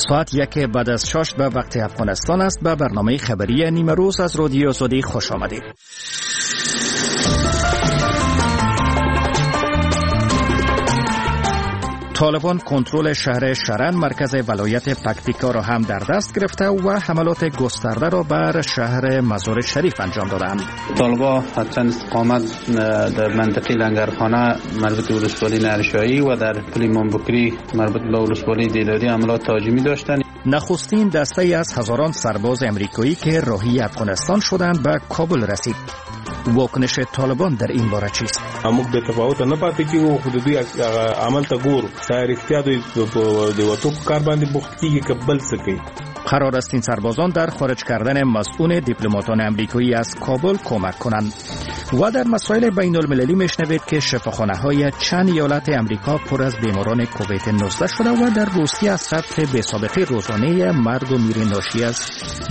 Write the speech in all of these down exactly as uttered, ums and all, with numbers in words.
ساعت یک بعد از شش به وقت افغانستان است. به برنامه خبری نیمه روز از رادیو آزادی خوش آمدید. طالبان کنترل شهر شرن مرکز ولایت پکتیکا را هم در دست گرفته و حملات گسترده را بر شهر مزار شریف انجام دادند. طالبان چند استقامت در منطقه لنگرخانه مربوط به ولسوالی نرشایی و در پل مامبکری مربوط به ولسوالی دیداری حملات تهاجمی داشتند. نخستین دسته از هزاران سرباز امریکایی که راهی افغانستان شدند به کابل رسید. واکنش طالبان در این باره چیست؟ موږ د تفاوت نه پاتې کیږو، خو د دوی عمل ته ګورو. دا رښتیا دوی د وتو په کار باندې بوخت کیږي که بل څه کوي. قرار است این سربازان در خارج کردن مسئول دیپلماتان امریکایی از کابل کمک کنند. و در مسائل بین المللی میشنوید که شفاخانه های چند ایالت امریکا پر از بیماران کووید نوزده شده و در روسیه از سطح بی سابقه روزانه مرگ و میر ناشی از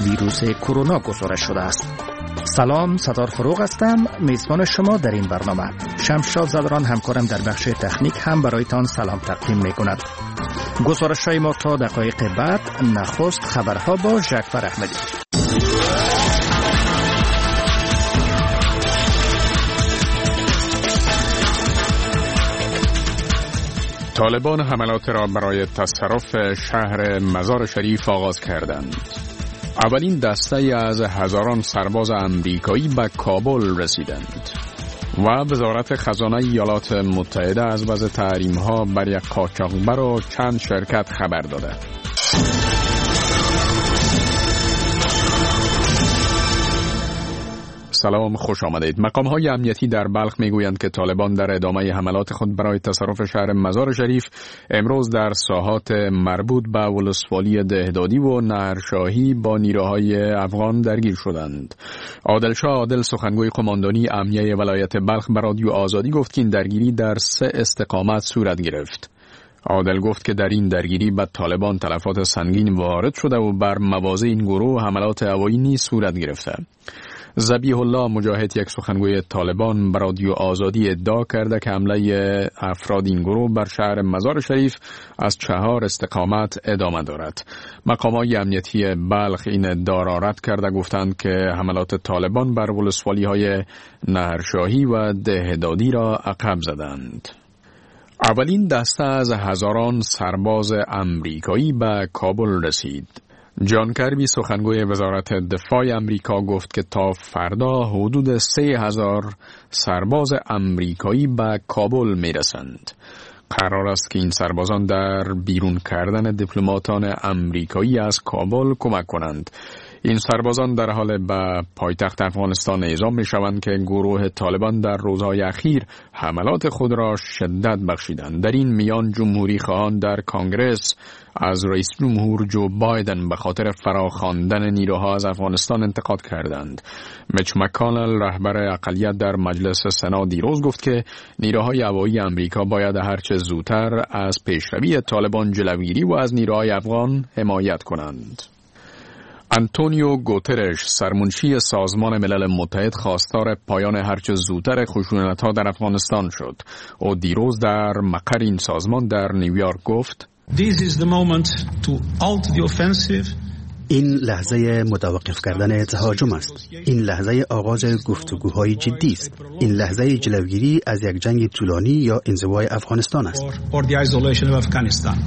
ویروس کرونا گزارش شده است. سلام، ستار فروغ هستم، میزبان شما در این برنامه. شمشاد زدران همکارم در بخش تکنیک هم برایتان سلام تقدیم میکند. گزارش های ما تا دقایق بعد. نخست خبرها با جعفر احمدی. طالبان حملات را برای تصرف شهر مزار شریف آغاز کردند. اولین دسته از هزاران سرباز امریکایی به کابل رسیدند و وزارت خزانه ایالات متحده از وضع تحریم‌ها بر یک قاچاقبر و چند شرکت خبر داده. سلام، خوش آمدید. مقام های امنیتی در بلخ میگویند که طالبان در ادامه حملات خود برای تصرف شهر مزار شریف امروز در ساحات مربوط به ولسوالی دهدادی و نهرشاهی با نیروهای افغان درگیر شدند. عادلشاه عادل، سخنگوی قماندانی امنیه ولایت بلخ، به رادیو آزادی گفت که این درگیری در سه استقامت صورت گرفت. عادل گفت که در این درگیری به طالبان تلفات سنگین وارد شده و بر مواضع این گروه حملات هوایی نیز صورت گرفته. ذبیح الله مجاهد، یک سخنگوی طالبان، به رادیو آزادی ادعا کرده که حمله افراد این گروه بر شهر مزار شریف از چهار استقامت ادامه دارد. مقامات امنیتی بلخ این ادعا را رد کرده، گفتند که حملات طالبان بر ولسوالی‌های نهرشاهی و دهدادی را عقب زدند. اولین دسته از هزاران سرباز امریکایی به کابل رسید. جان کربی، سخنگوی وزارت دفاع امریکا، گفت که تا فردا حدود سه هزار سرباز امریکایی به کابل میرسند. قرار است که این سربازان در بیرون کردن دیپلماتان امریکایی از کابل کمک کنند. این سربازان در حال به پایتخت افغانستان اعزام می شوند که گروه طالبان در روزهای اخیر حملات خود را شدت بخشیدند. در این میان جمهوری خواهان در کانگرس از رئیس جمهور جو بایدن به خاطر فراخواندن نیروها از افغانستان انتقاد کردند. میچ مکانل، رهبر اقلیت در مجلس سنا، دیروز گفت که نیروهای هوایی امریکا باید هرچه زودتر از پیشروی طالبان جلوگیری و از نیروهای افغان حمایت کنند. آنتونیو گوترش، سرمنشی سازمان ملل متحد، خواستار پایان هرچه زودتر خشونت‌ها در افغانستان شد. او دیروز در مقر این سازمان در نیویورک گفت: This is the moment to halt the offensive. این لحظه متوقف کردن تهاجم است. این لحظه آغاز گفتگوهای جدی است. این لحظه جلوگیری از یک جنگ طولانی یا انزوای افغانستان است. Or the isolation of Afghanistan.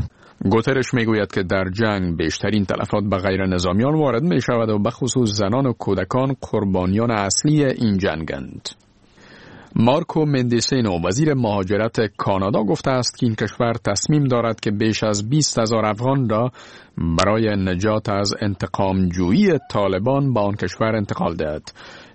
گوترش میگوید که در جنگ بیشترین تلفات به غیر نظامیان وارد می شود و به خصوص زنان و کودکان قربانیان اصلی این جنگند. مارکو مندیسینو، وزیر مهاجرت کانادا، گفته است که این کشور تصمیم دارد که بیش از بیست هزار افغان را برای نجات از انتقام جویی طالبان به آن کشور انتقال دهد.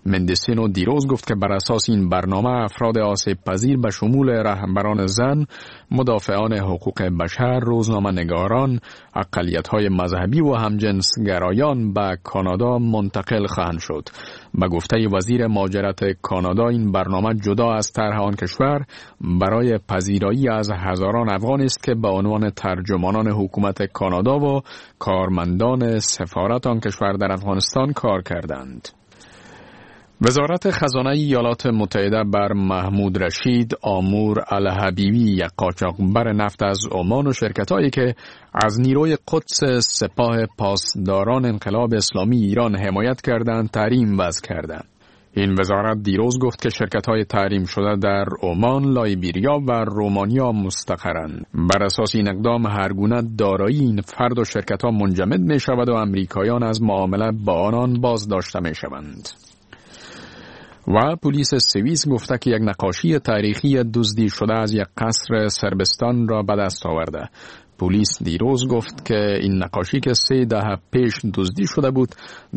مندیسینو دیروز گفت که بر اساس این برنامه افراد آسیب پذیر به شمول رهبران زن، مدافعان حقوق بشر، روزنامه نگاران، اقلیت‌های مذهبی و همجنسگرایان به کانادا منتقل خواهند شد. به گفته وزیر مهاجرت کانادا این برنامه جدا از طرح آن کشور برای پذیرایی از هزاران افغان است که به عنوان ترجمانان حکومت کانادا و کارمندان سفارت آن کشور در افغانستان کار کردند. وزارت خزانه ایالات متحده بر محمود رشید آمور الحبیبی، یک قاچاقبر نفت از عمان و شرکت‌هایی که از نیروی قدس سپاه پاسداران انقلاب اسلامی ایران حمایت کردند، تحریم وضع کردند. این وزارت دیروز گفت که شرکت‌های تحریم شده در عمان، لایبیریا و رومانیا مستقرند. بر اساس این اقدام هر گونه دارایی این فرد و شرکت‌ها منجمد می‌شود و امریکایان از معامله با آنان بازداشته می‌شوند. و پلیس سوئیس گفته که یک نقاشی تاریخی دزدی شده از یک قصر صربستان را به دست آورده. پلیس دیروز گفت که این نقاشی که سه دهه پیش دزدی شده بود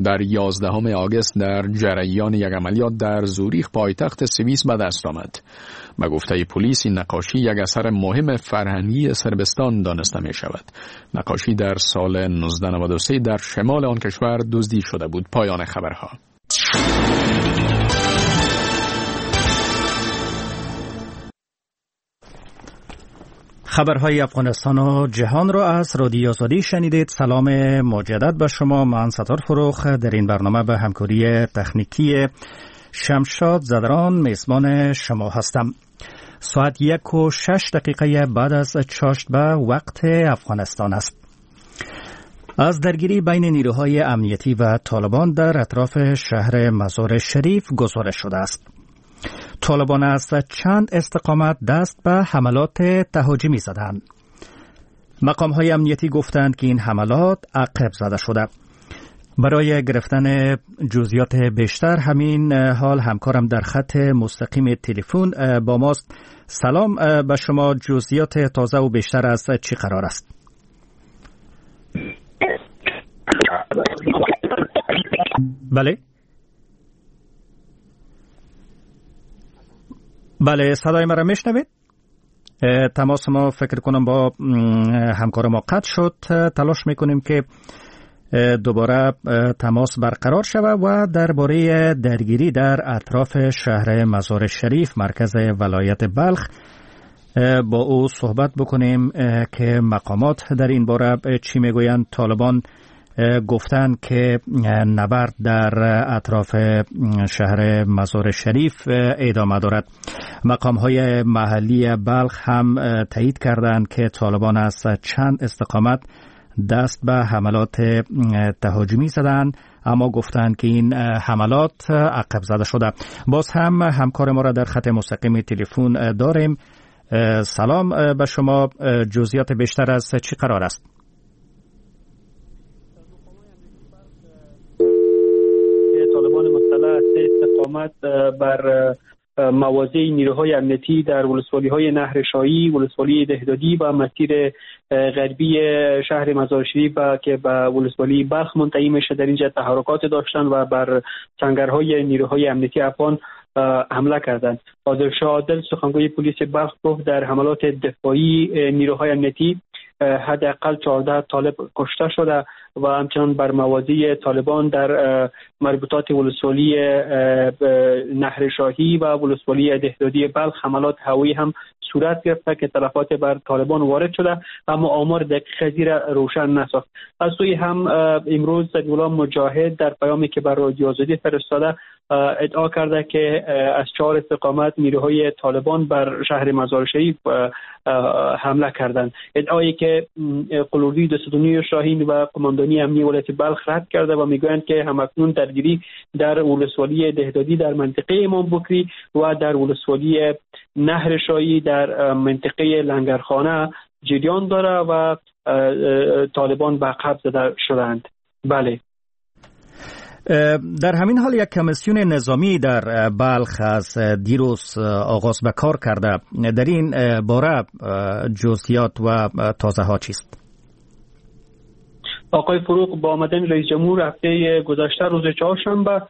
در یازدهم آگوست در جریان یک عملیات در زوریخ پایتخت سوئیس به دست آمد. به گفته پلیس این نقاشی یک اثر مهم فرهنگی صربستان دانسته می شود. نقاشی در سال نوزده نود و سه در شمال آن کشور دزدی شده بود. پایان خبرها. خبرهای افغانستان و جهان را از رادیو آزادی شنیدید. سلام مجدد به شما، من ستار فروخ در این برنامه به همکاری تکنیکی شمشاد زدران میزبان شما هستم. ساعت یک و شش دقیقه بعد از چاشت به وقت افغانستان است. از درگیری بین نیروهای امنیتی و طالبان در اطراف شهر مزار شریف گزارش شده است. طالبان از چند استقامت دست به حملات تهاجمی زدند. مقام‌های امنیتی گفتند که این حملات عقب زده شده. برای گرفتن جزئیات بیشتر همین حال همکارم در خط مستقیم تلفن با ماست. سلام به شما، جزئیات تازه و بیشتر از چی قرار است؟ بله بله، صدای مرا میشنوید؟ تماس ما فکر کنم با همکار ما قطع شد. تلاش میکنیم که دوباره تماس برقرار شود و درباره درگیری در اطراف شهر مزار شریف مرکز ولایت بلخ با او صحبت بکنیم که مقامات در این باره چی میگویند. طالبان گفتند که نبرد در اطراف شهر مزار شریف ادامه دارد. مقام های محلی بلخ هم تایید کردند که طالبان از چند استقامت دست به حملات تهاجمی زدند، اما گفتند که این حملات عقب زده شده. باز هم همکار ما را در خط مستقیم تلفن داریم. سلام به شما، جزئیات بیشتر از چی قرار است؟ طالبان مسلح سه استقامت بر مواضع نیروهای امنیتی در ولسوالی‌های نهر شاهی، ولسوالی دهدادی و مسیر غربی شهر مزار شریف که به ولسوالی بلخ منتهی میشه در اینجا تحرکات داشتن و بر سنگرهای نیروهای امنیتی افغان حمله کردند. عادل شاه عادل سخنگوی پلیس بلخ گفت در حملات دفاعی نیروهای امنیتی حداقل چهارده طالب کشته شده و همچنان بر مواضع طالبان در مربوطات ولسوالی نهر شاهی و ولسوالی دهدادی بلخ حملات هوایی هم صورت گرفته که تلفات بر طالبان وارد شده، اما آمار دقیق زیر روشن نساخت. از سوی هم امروز ذبیح الله مجاهد در پیامی که بر رادیو آزادی فرستاده ادعا کرده که از چهار استقامت نیروهای طالبان بر شهر مزار شریف حمله کردند، ادعایی که قلوری دستونی شاهین و قماندانی امنی ولایت بلخ رد کرده و میگویند که همکنون درگیری در ولسوالی دهدادی در منطقه امام بکری و در ولسوالی نهر شاهی در منطقه لنگرخانه جریان داره و طالبان به عقب زده شدند. بله، در همین حال یک کمیسیون نظامی در بلخ از دیروز آغاز به کار کرده. در این باره جزئیات و تازه ها چیست؟ آقای فروغ، با آمدن رئیس جمهور هفته گذشته روز چهارشنبه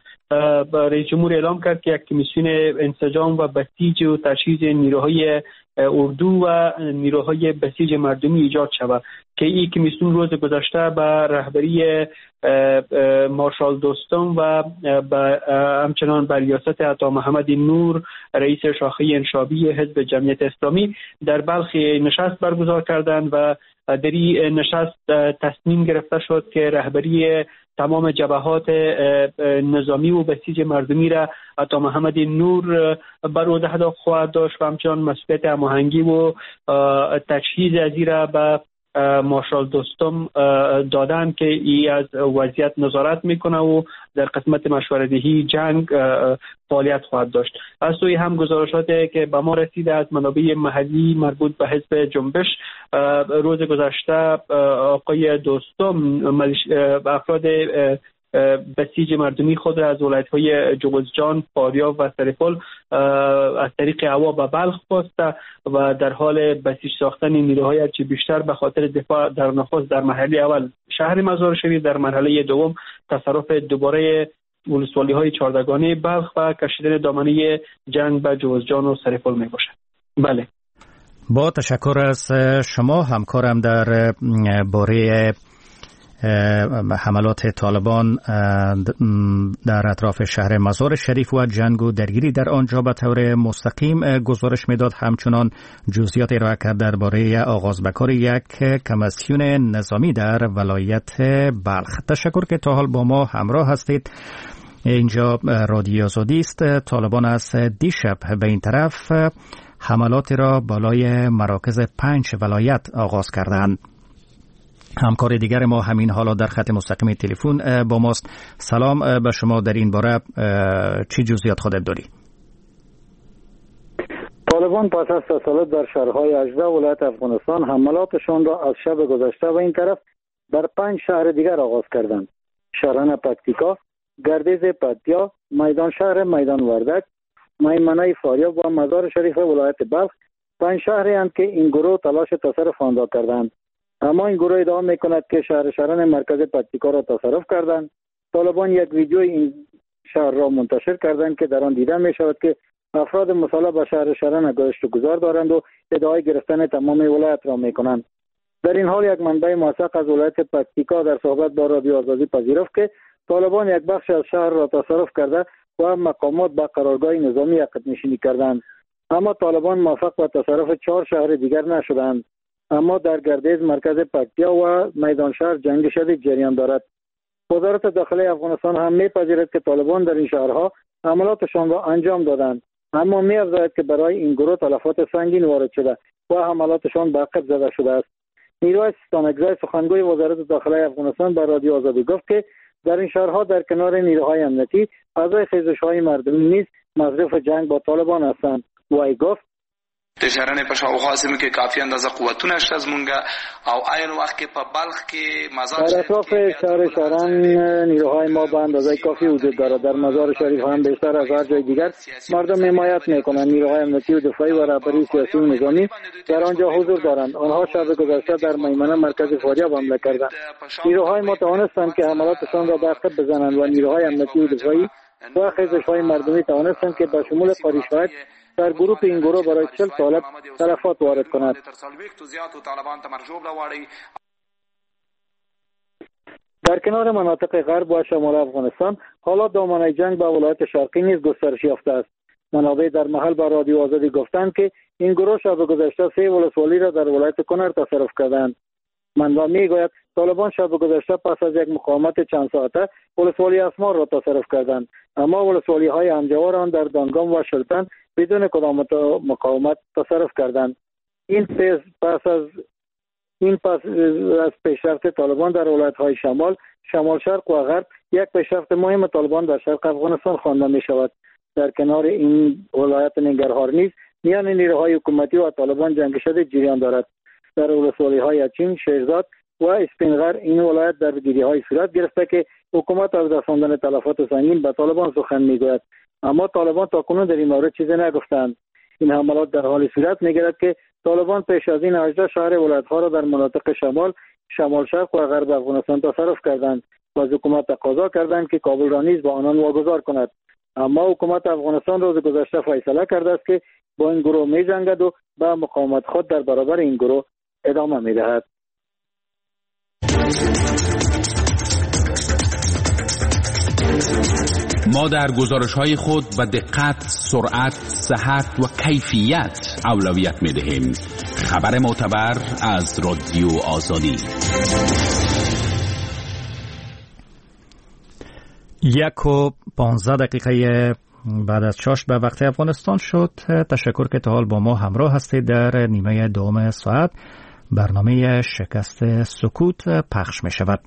رئیس جمهور اعلام کرد که یک کمیسیون انسجام و بسیج و تجهیز نیروهای اردو و نیروهای بسیج مردمی ایجاد شود که این کمیسیون روز گذشته به رهبری مارشال دوستم و همچنان بر ریاست عطا محمد نور رئیس شاخه انشابی حزب جمعیت اسلامی در بلخ نشست برگزار کردند و در این نشست تصمیم گرفته شد که رهبری تمام جبهات نظامی و بسیج مردمی را عطا محمد نور بر عهده خواهد داشت و همچنان مسئولیت هماهنگی و تجهیز از را به مارشال دوستم دادن که ای از وضعیت نظارت میکنه و در قسمت مشوره دهی جنگ فعالیت خواهد داشت. از سوی هم گزارشاتی که به ما رسیده از منابع محلی مربوط به حزب جنبش، روز گذشته آقای دوستم افراد بسیج مردمی خود را از ولایت‌های جوزجان، فاریاب و سرپل از طریق هوا به بلخ خواسته و در حال بسیج ساختن نیروهای هرچی بیشتر به خاطر دفاع در نخست در مرحله اول شهر مزار شریف، در مرحله دوم تصرف دوباره ولسوالی‌های چهاردگانه بلخ و کشیدن دامنه جنگ به جوزجان و سرپل میباشد. بله، با تشکر از شما همکارم در باره حملات طالبان در اطراف شهر مزار شریف و جنگ و درگیری در آنجا به طور مستقیم گزارش میداد. همچنان جزئیات ارائه کرد درباره آغاز به کار یک کمیسیون نظامی در ولایت بلخ. تشکر که تا حال با ما همراه هستید. اینجا رادیو آزادی است. طالبان از دیشب به این طرف حملات را بالای مراکز پنج ولایت آغاز کردند. همکار دیگر ما همین حالا در خط مستقیم تلفن با ماست. سلام به شما، در این باره چه جزئیات خودت داری؟ طالبان پس از تسلط بر شهرهای هجده ولایت افغانستان حملاتشان را از شب گذشته و این طرف بر پنج شهر دیگر آغاز کردند. شهران پکتیکا، گردیز پتیا، میدان شهر میدان وردک، میمنه فاریاب و مزار شریف ولایت بلخ پنج شهری اند که این گروه تلاش تصرف آن را کردند. اما این گروه ادعا میکند که شهر شهران مرکز پکتیکا را تصرف کردند. طالبان یک ویدیو این شهر را منتشر کردند که در آن دیده می شود که افراد مسلح به شهر شهران گشت و گذار دارند و ادعای گرفتن تمام ولایت را میکنند. در این حال یک منبع موثق از ولایت پکتیکا در صحبت با رادیو آزادی پذیرفت که طالبان یک بخش از شهر را تصرف کرده و مقامات به قرارگاه نظامی عقب نشینی کردند. اما طالبان موفق به تصرف چهار شهر دیگر نشدند. اما در گردیز مرکز پکتیا و میدان شهر جنگ شدید جریان دارد. وزارت داخله افغانستان هم میپذیرد که طالبان در این شهرها حملاتشان را انجام دادند، اما میافزاید که برای این گروه تلفات سنگین وارد شده و حملاتشان به عقب زده شده است. میرویس ستانکزی سخنگوی وزارت داخله افغانستان به رادیو آزادی گفت که در این شهرها در کنار نیروهای امنیتی اعضای خیزش‌های مردمی نیز مصروف جنگ با طالبان هستند. وی گفت: د شهرنې په شاوخوا سیمو کې کافي اندازه قوتونه شته زمونږ او عین وخت کې په بلخ کې مزار در اطراف شهر شهران نیروهای ما به اندازه کافی وجود دارد. در مزار شریف هم بیشتر از هر جای دیگر مردم حمایت میکنند. نیروهای امنیتی و دفاعی و رهبری سیاسی و نظامی در آنجا حضور دارند. آنها شب گذشته در میمنه مرکز فاریاب حمله کردند. نیروهای ما توانستند که حملاتشان را به عقب بزنند و نیروهای امنیتی و دفاعی و خیزش‌های مردمی توانستند که به شمول قاری شاهد در گروه این گروه برای چهل طالب تلفات وارد کند. در کنار مناطق غرب و شمال افغانستان حالا دامنه جنگ به ولایت شرقی نیز گسترش یافته است. منابع در محل با رادیو آزادی گفتند که این گروه شب گذشته سه ولسوالی را در ولایت کنر تصرف کردند. منبع میگوید طالبان شب گذشته پس از یک مقاومت چند ساعته ولسوالی اسمار را تصرف کردند، اما ولسوالی های همجوار آن در دانگام و شلتن بدون کدام مقاومت تصرف کردند. این پس از این پس از پیشرفت طالبان در ولایت های شمال، شمال شرق و غرب یک پیشرفت مهم طالبان در شرق افغانستان خوانده می شود. در کنار این ولایت ننگرهار نیز میان نیروهای حکومتی و طالبان جنگ شدید جریان دارد. در ولسوالی های اچین، شیرزاد و اسپینغر این ولایت در درگیری های صورت گرفته که حکومت از رساندن تلفات سنگین به طالبان سخن میگوید، اما طالبان تاکنون در این مورد چیزی نگفتند. این حملات در حال صورت میگیرد که طالبان پیش از این هجده شهر ولایت ها را در مناطق شمال، شمال شرق و غرب افغانستان تصرف کردند و از حکومت تقاضا کردند که کابل را نیز با آنان واگذار کند. اما حکومت افغانستان روز گذشته فیصله کرده است که با این گروه می‌جنگد و به مقاومت خود در برابر این گروه ادامه می‌دهد. ما در گزارش‌های خود به دقت، سرعت، صحت و کیفیت اولویت می‌دهیم. خبر معتبر از رادیو آزادی. یک و پانزده دقیقه بعد از چاشت به وقت افغانستان شد. تشکر که تا حال با ما همراه هستید. در نیمه دوم ساعت برنامه شکست سکوت پخش می شود.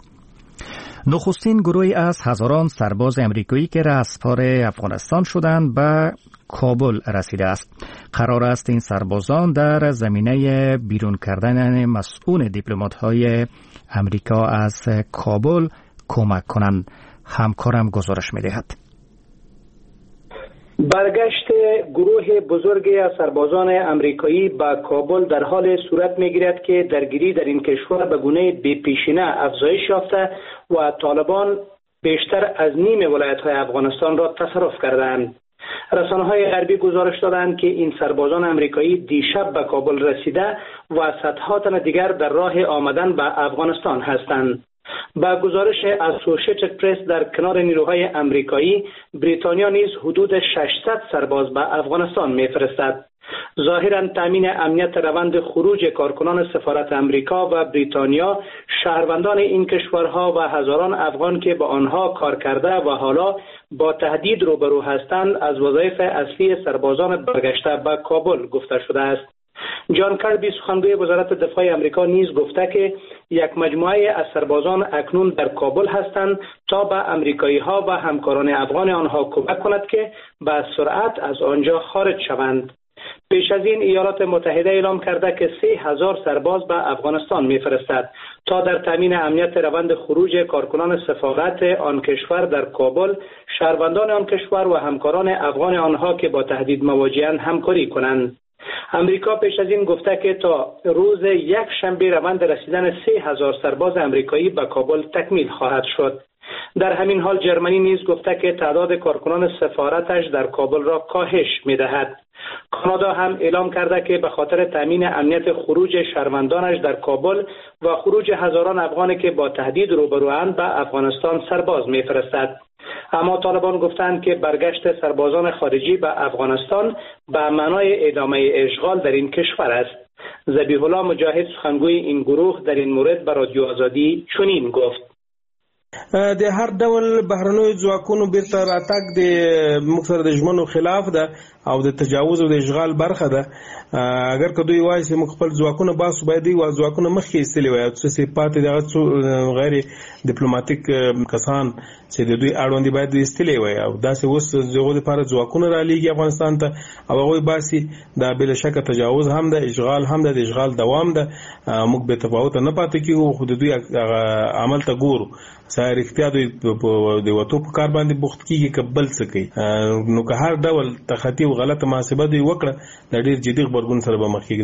نخستین گروهی از هزاران سرباز امریکایی که رهسپار افغانستان شدند به کابل رسیده است. قرار است این سربازان در زمینه بیرون کردن مسئول دیپلمات‌های امریکا از کابل کمک کنند. همکارم گزارش می‌دهد. برگشت گروه بزرگی از سربازان امریکایی به کابل در حال صورت می‌گیرد که درگیری در این کشور به گونه بی‌پیشینه افزایش یافته و طالبان بیشتر از نیم ولایت‌های افغانستان را تصرف کردند. رسانه‌های غربی گزارش دادند که این سربازان امریکایی دیشب به کابل رسیده و صدها تن دیگر در راه آمدن به افغانستان هستند. با گزارش اسوسییتد پرس در کنار نیروهای امریکایی، بریتانیا نیز حدود ششصد سرباز به افغانستان میفرستد. ظاهرا تامین امنیت روند خروج کارکنان سفارت امریکا و بریتانیا، شهروندان این کشورها و هزاران افغان که با آنها کار کرده و حالا با تهدید روبرو هستند، از وظایف اصلی سربازان برگشته به کابل گفته شده است. جان کربی سخنگوی وزارت دفاع امریکا نیز گفته که یک مجموعه از سربازان اکنون در کابل هستند تا به امریکایی ها و همکاران افغان آنها کمک کند که به سرعت از آنجا خارج شوند. پیش از این ایالات متحده اعلام کرده که سه هزار سرباز به افغانستان میفرستد تا در تامین امنیت روند خروج کارکنان سفارت آن کشور در کابل، شهروندان آن کشور و همکاران افغان آنها که با تهدید مواجهند همکاری کنند. امریکا پیش از این گفته که تا روز یک شنبه روند رسیدن سه هزار سرباز امریکایی به کابل تکمیل خواهد شد. در همین حال جرمنی نیز گفته که تعداد کارکنان سفارتش در کابل را کاهش می‌دهد. کانادا هم اعلام کرده که به خاطر تامین امنیت خروج شهروندانش در کابل و خروج هزاران افغان که با تهدید روبرواند به افغانستان سرباز می‌فرستد. اما طالبان گفتند که برگشت سربازان خارجی به افغانستان به معنای ادامه اشغال در این کشور است. ذبیح الله مجاهد سخنگوی این گروه در این مورد به رادیو آزادی چنین گفت: د هر ډول بهرنیو ځواکونو بیرته راتګ د موږ سره د ژمنو خلاف ده او د تجاوز او د اشغال برخه ده. اگر که دوی وایي چې موږ خپل ځواکونه باسو، باید دوی ځواکونه مخکې ایستلي وای او څه چې پاتې دغه څو غیر دیپلوماتیک کسان چې د دوی اړوند دي باید ایستلي وای او داسې اوس دغو لپاره ځواکونه رالیږي افغانستان ته او هغوی باسي. دا بې له شکه تجاوز هم ده، اشغال هم ده، د اشغال دوام ده. موږ بې تفاوته نه پاتې کېږو، خو د دوی عمل ته ګورو. رښتیا دوی د وتو په کار باندې بوخت کېږي که بل څه کوي. نو که هر ډول تخطي او غلطه محاسبه دوی وکړه، د ډېر جدي غبرګون سره به مخ کېږي.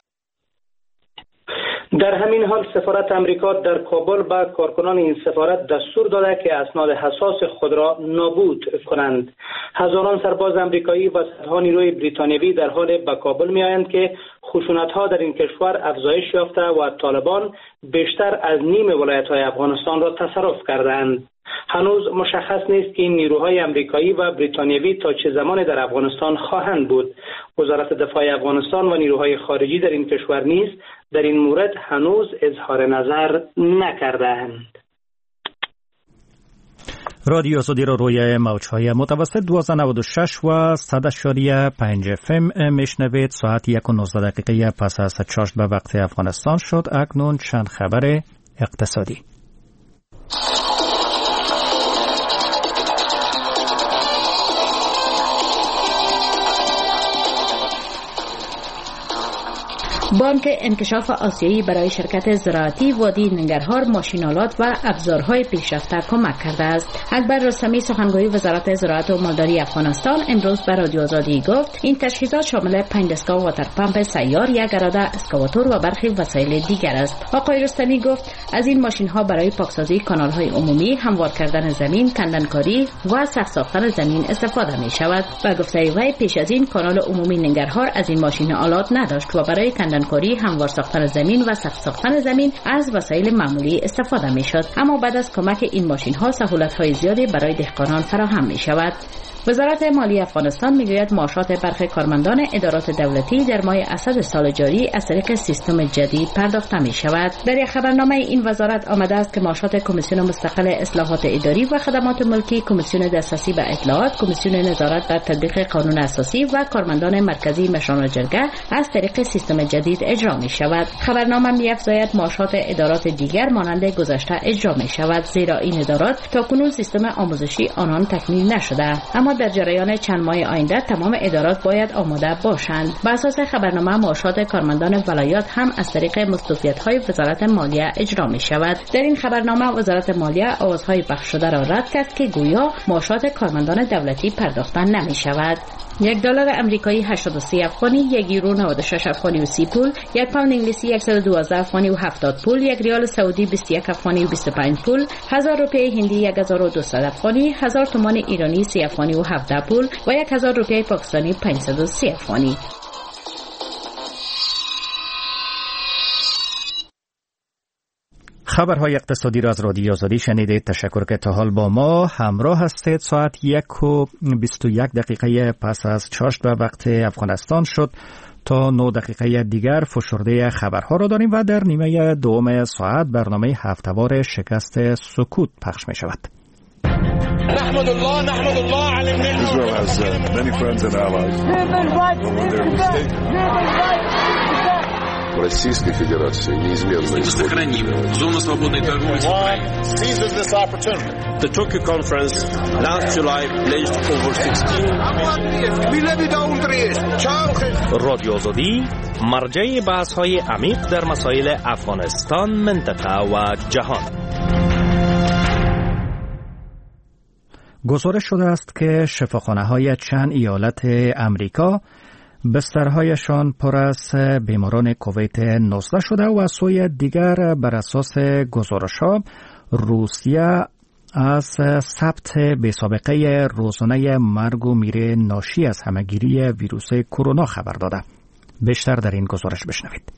در همین حال سفارت امریکا در کابل به کارکنان این سفارت دستور داده که اسناد حساس خود را نابود کنند. هزاران سرباز امریکایی و صدها نیروی بریتانیایی در حال به کابل می آیند که خشونت‌ها در این کشور افزایش یافته و طالبان بیشتر از نیم ولایت‌های افغانستان را تصرف کردند. هنوز مشخص نیست که این نیروهای امریکایی و بریتانیایی تا چه زمانی در افغانستان خواهند بود. وزارت دفاع افغانستان و نیروهای خارجی در این کشور نیز در این مورد هنوز اظهار نظر نکردند. رادیو آزادی را روی موج‌های متوسط دوازده نود و شش و صد اعشاریه پنج اف ام میشنوید. ساعت یک و نوزده دقیقه پس از چاشت به وقت افغانستان شد. اکنون چند خبر اقتصادی. بانک انکشاف آسیایی برای شرکت زراعتی وادی ننگرهار ماشین‌آلات و ابزارهای پیشرفته کمک کرده است. اکبر رستمی سخنگوی وزارت زراعت و مالداری افغانستان امروز به رادیو آزادی گفت این تجهیزات شامل پنج دستگاه واتر پمپ سیار، یک اراده اسکاواتور و برخی وسایل دیگر است. آقای رستمی گفت از این ماشین‌ها برای پاکسازی کانال‌های عمومی، هموار کردن زمین، کندنکاری و سخت ساختن زمین استفاده می‌شود. به گفته وی پیش از این کانال عمومی ننگرهار از این ماشین‌آلات نداشت و برای کندن کندنکاری، هموار ساختن زمین و سخت ساختن زمین از وسایل معمولی استفاده میشد، اما بعد از کمک این ماشین ها سهولت های زیادی برای دهقانان فراهم می شود. وزارت مالی افغانستان میگوید معاشات برخی کارمندان ادارات دولتی در ماه اسد سال جاری از طریق سیستم جدید پرداخته می شود. در یک خبرنامه این وزارت آمده است که معاشات کمیسیون مستقل اصلاحات اداری و خدمات ملکی، کمیسیون دسترسی به اطلاعات، کمیسیون نظارت بر تطبیق قانون اساسی و کارمندان مرکزی مشران جرگه از طریق سیستم جدید اجرا می شود. خبرنامه می افزاید معاشات ادارات دیگر مانند گذشته اجرا می شود، زیرا این ادارات تاکنون سیستم آموزشی آنان تکمیل نشده، اما در جریان چند ماه آینده تمام ادارات باید آماده باشند. به اساس خبرنامه معاشات کارمندان ولایات هم از طریق مستوفیت‌های وزارت مالیه اجرا می شود. در این خبرنامه وزارت مالیه آوازهای پخش شده را رد کرد که گویا معاشات کارمندان دولتی پرداخته نمی شود. یک دلار امریکایی هشتاد و سه افغانی، یک یورو نود و شش افغانی و سی پول، یک پوند انگلیسی صد و دوازده افغانی و هفتاد پول، یک ریال سعودی بیست و یک افغانی و بیست و پنج پول، هزار روپیه هندی هزار و دویست افغانی، هزار تومان ایرانی سی افغانی و هفده پول و یک هزار روپیه پاکستانی پانصد و سه افغانی. خبرهای اقتصادی را از رادیو آزادی شنیدید. تشکر که تا حال با ما همراه هستید. ساعت یک و بیست و یک دقیقه پس از چاشت به وقت افغانستان شد. تا نه دقیقه دیگر فشرده خبرها را داریم و در نیمه دوم ساعت برنامه هفته‌وار شکست سکوت پخش می شود. نحمد الله نحمد الله على Israel has uh, many friends and allies. Российской Федерации неизменно Мы сохраним зону свободной торговли с Украиной. The Tokyo conference last July pledged over sixteen. رادیو آزادی مرجع بحث‌های عمیق در مسائل افغانستان، منطقه و جهان. گزارش شده است که شفاخانه‌های چند ایالت امریکا بسترهایشان پر از بیماران کووید نوزده شده و از سوی دیگر بر اساس گزارش‌ها روسیه از ثبت بی سابقه روزانه مرگ و میر ناشی از همه‌گیری ویروس کرونا خبر داده. بیشتر در این گزارش بشنوید.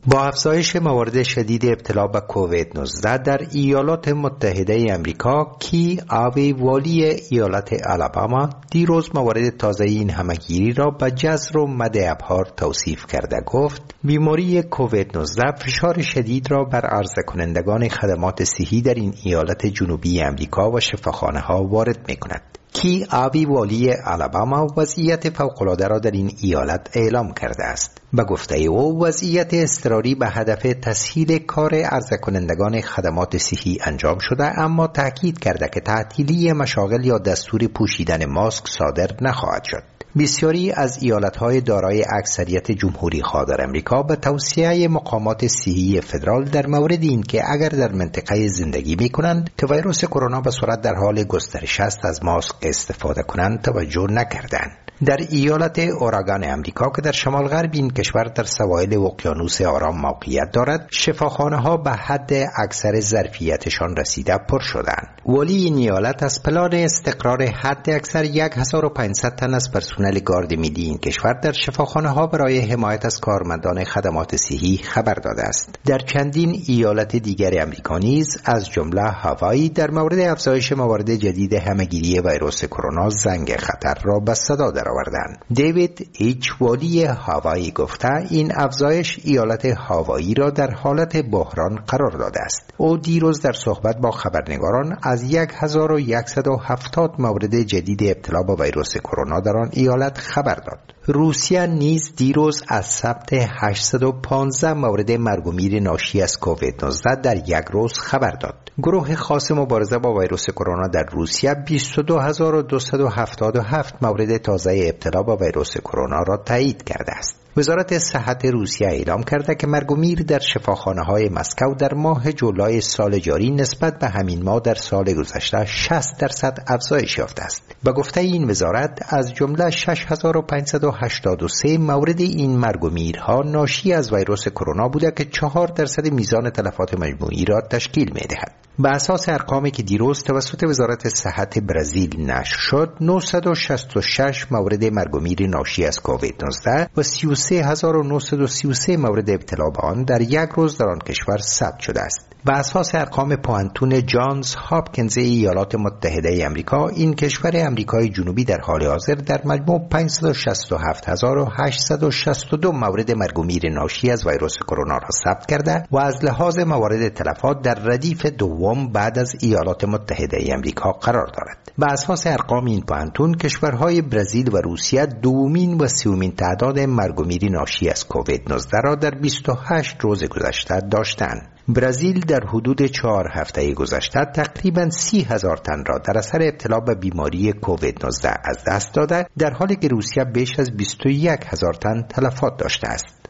با افزایش موارد شدید ابتلا به کووید نوزده در ایالات متحده امریکا، کی آوی والی ایالت آلاباما دیروز موارد تازه این همه‌گیری را به جزر و مد ابهار توصیف کرده گفت بیماری کووید نوزده فشار شدید را بر عرضه کنندگان خدمات صحی در این ایالت جنوبی امریکا و شفاخانه ها وارد می کند. کی آوی والی آلاباما وضعیت فوق‌العاده را در این ایالت اعلام کرده است. به گفته او وضعیت اضطراری به هدف تسهیل کار عرضه کنندگان خدمات صحی انجام شده، اما تاکید کرده که تعطیلی مشاغل یا دستور پوشیدن ماسک صادر نخواهد شد. بسیاری از ایالت‌های دارای اکثریت جمهوری خواه در امریکا به توصیه مقامات صحی فدرال در مورد اینکه اگر در منطقه زندگی می‌کنند که ویروس کرونا به سرعت در حال گسترش است از ماسک استفاده کنند توجه نکردند. در ایالت اورگان امریکا که در شمال غرب این کشور در سواحل اقیانوس آرام موقعیت دارد، شفاخانه ها به حد اکثر ظرفیتشان رسیده پر شدند. والی این ایالت از پلان استقرار حد اکثر هزار و پانصد تن از پرسنل گارد ملی این کشور در شفاخانه ها برای حمایت از کارمندان خدمات صحی خبر داده است. در چندین ایالت دیگر امریکا نیز از جمله هاوایی در مورد افزایش موارد جدید همه‌گیری ویروس کرونا زنگ خطر را به صدا در آوردند. دیوید ایچ والی هاوایی گفته این افزایش ایالت هاوایی را در حالت بحران قرار داده است. او دیروز در صحبت با خبرنگاران از هزار و صد و هفتاد مورد جدید ابتلا به ویروس کرونا در آن ایالت خبر داد. روسیه نیز دیروز از ثبت هشتصد و پانزده مورد مرگ و میر ناشی از کووید نوزده در یک روز خبر داد. گروه خاص مبارزه با ویروس کرونا در روسیه بیست و دو هزار و دویست و هفتاد و هفت مورد تازه ابتلا با ویروس کرونا را تایید کرده است. وزارت صحت روسیه اعلام کرده که مرگ و میر در شفاخانه‌های مسکو در ماه جولای سال جاری نسبت به همین ماه در سال گذشته شصت درصد افزایش یافته است. به گفته این وزارت از جمله شش هزار و پانصد و هشتاد و سه مورد این مرگ و میرها ناشی از ویروس کرونا بوده که چهار درصد میزان تلفات مجموعی را تشکیل می‌دهد. به اساس ارقامی که دیروز توسط وزارت صحت برزیل نشر شد، نهصد و شصت و شش مورد مرگ و میر ناشی از کووید نوزده و سی و سه سه هزار و نهصد و سی و سه مورد ابتلا به آن در یک روز در آن کشور ثبت شده است. به اساس ارقام پوهنتون جانز هاپکینز ایالات متحده امریکا، این کشور امریکای جنوبی در حال حاضر در مجموع پانصد و شصت و هفت هزار و هشتصد و شصت و دو مورد مرگ و میر ناشی از ویروس کرونا را ثبت کرده و از لحاظ موارد تلفات در ردیف دوم بعد از ایالات متحده امریکا قرار دارد. به اساس ارقام این پوهنتون، کشورهای برزیل و روسیه دومین و سومین تعداد مرگ و میر ناشی از کووید نوزده را در بیست و هشت روز گذشته داشتند. برزیل در حدود چهار هفته گذشته تقریباً سی هزار تن را در اثر ابتلا به بیماری کووید نوزده از دست داده، در حالی که روسیه بیش از بیست و یک هزار تن تلفات داشته است.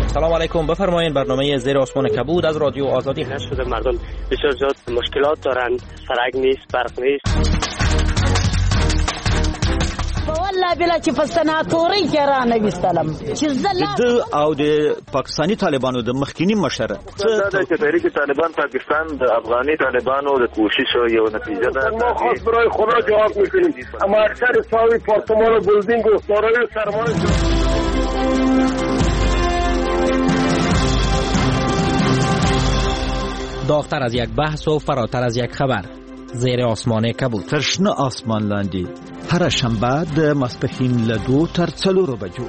سلام علیکم، بفرمایید برنامه زیر آسمان کبود از رادیو آزادی. شده مردم بسیار زیاد مشکلات دارند، سرک نیست، برق نیست. والله بلا چې په سناتوري کې را نه وستلم چې زله د او د پاکستاني طالبانو د مخکینی مشر دا چې تحریک طالبان پاکستان د افغاني طالبانو د کوشش یو نتیجه ده. ما خاص برای خدا جواب میکنیم، اما اکثر ساوی پارتمان و بلدینگ و دارایی سرمایه. داغتر از یک بحث و فراتر از یک خبر، زیر آسمان کبود. تر شنه آسمان لاندې هره شنبه د ماسپښین له دوو تر څلورو بجو.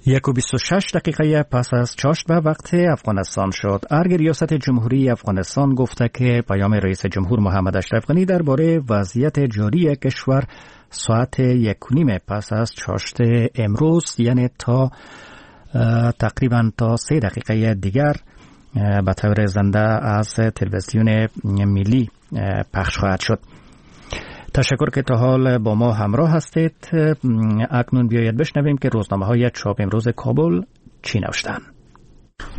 یک و بیست و شش دقیقه پس از چاشت به وقت افغانستان شد. ارگ ریاست جمهوری افغانستان گفته که پیام رئیس جمهور محمد اشرف غنی درباره وضعیت جاری کشور ساعت یک و نیم پس از چاشت امروز، یعنی تا تقریبا تا سه دقیقه دیگر، به طور زنده از تلویزیون ملی پخش خواهد شد. تشکر که تا حال با ما همراه هستید. اکنون بیاید بشنویم که روزنامه های چاپ امروز کابل چی نوشتند.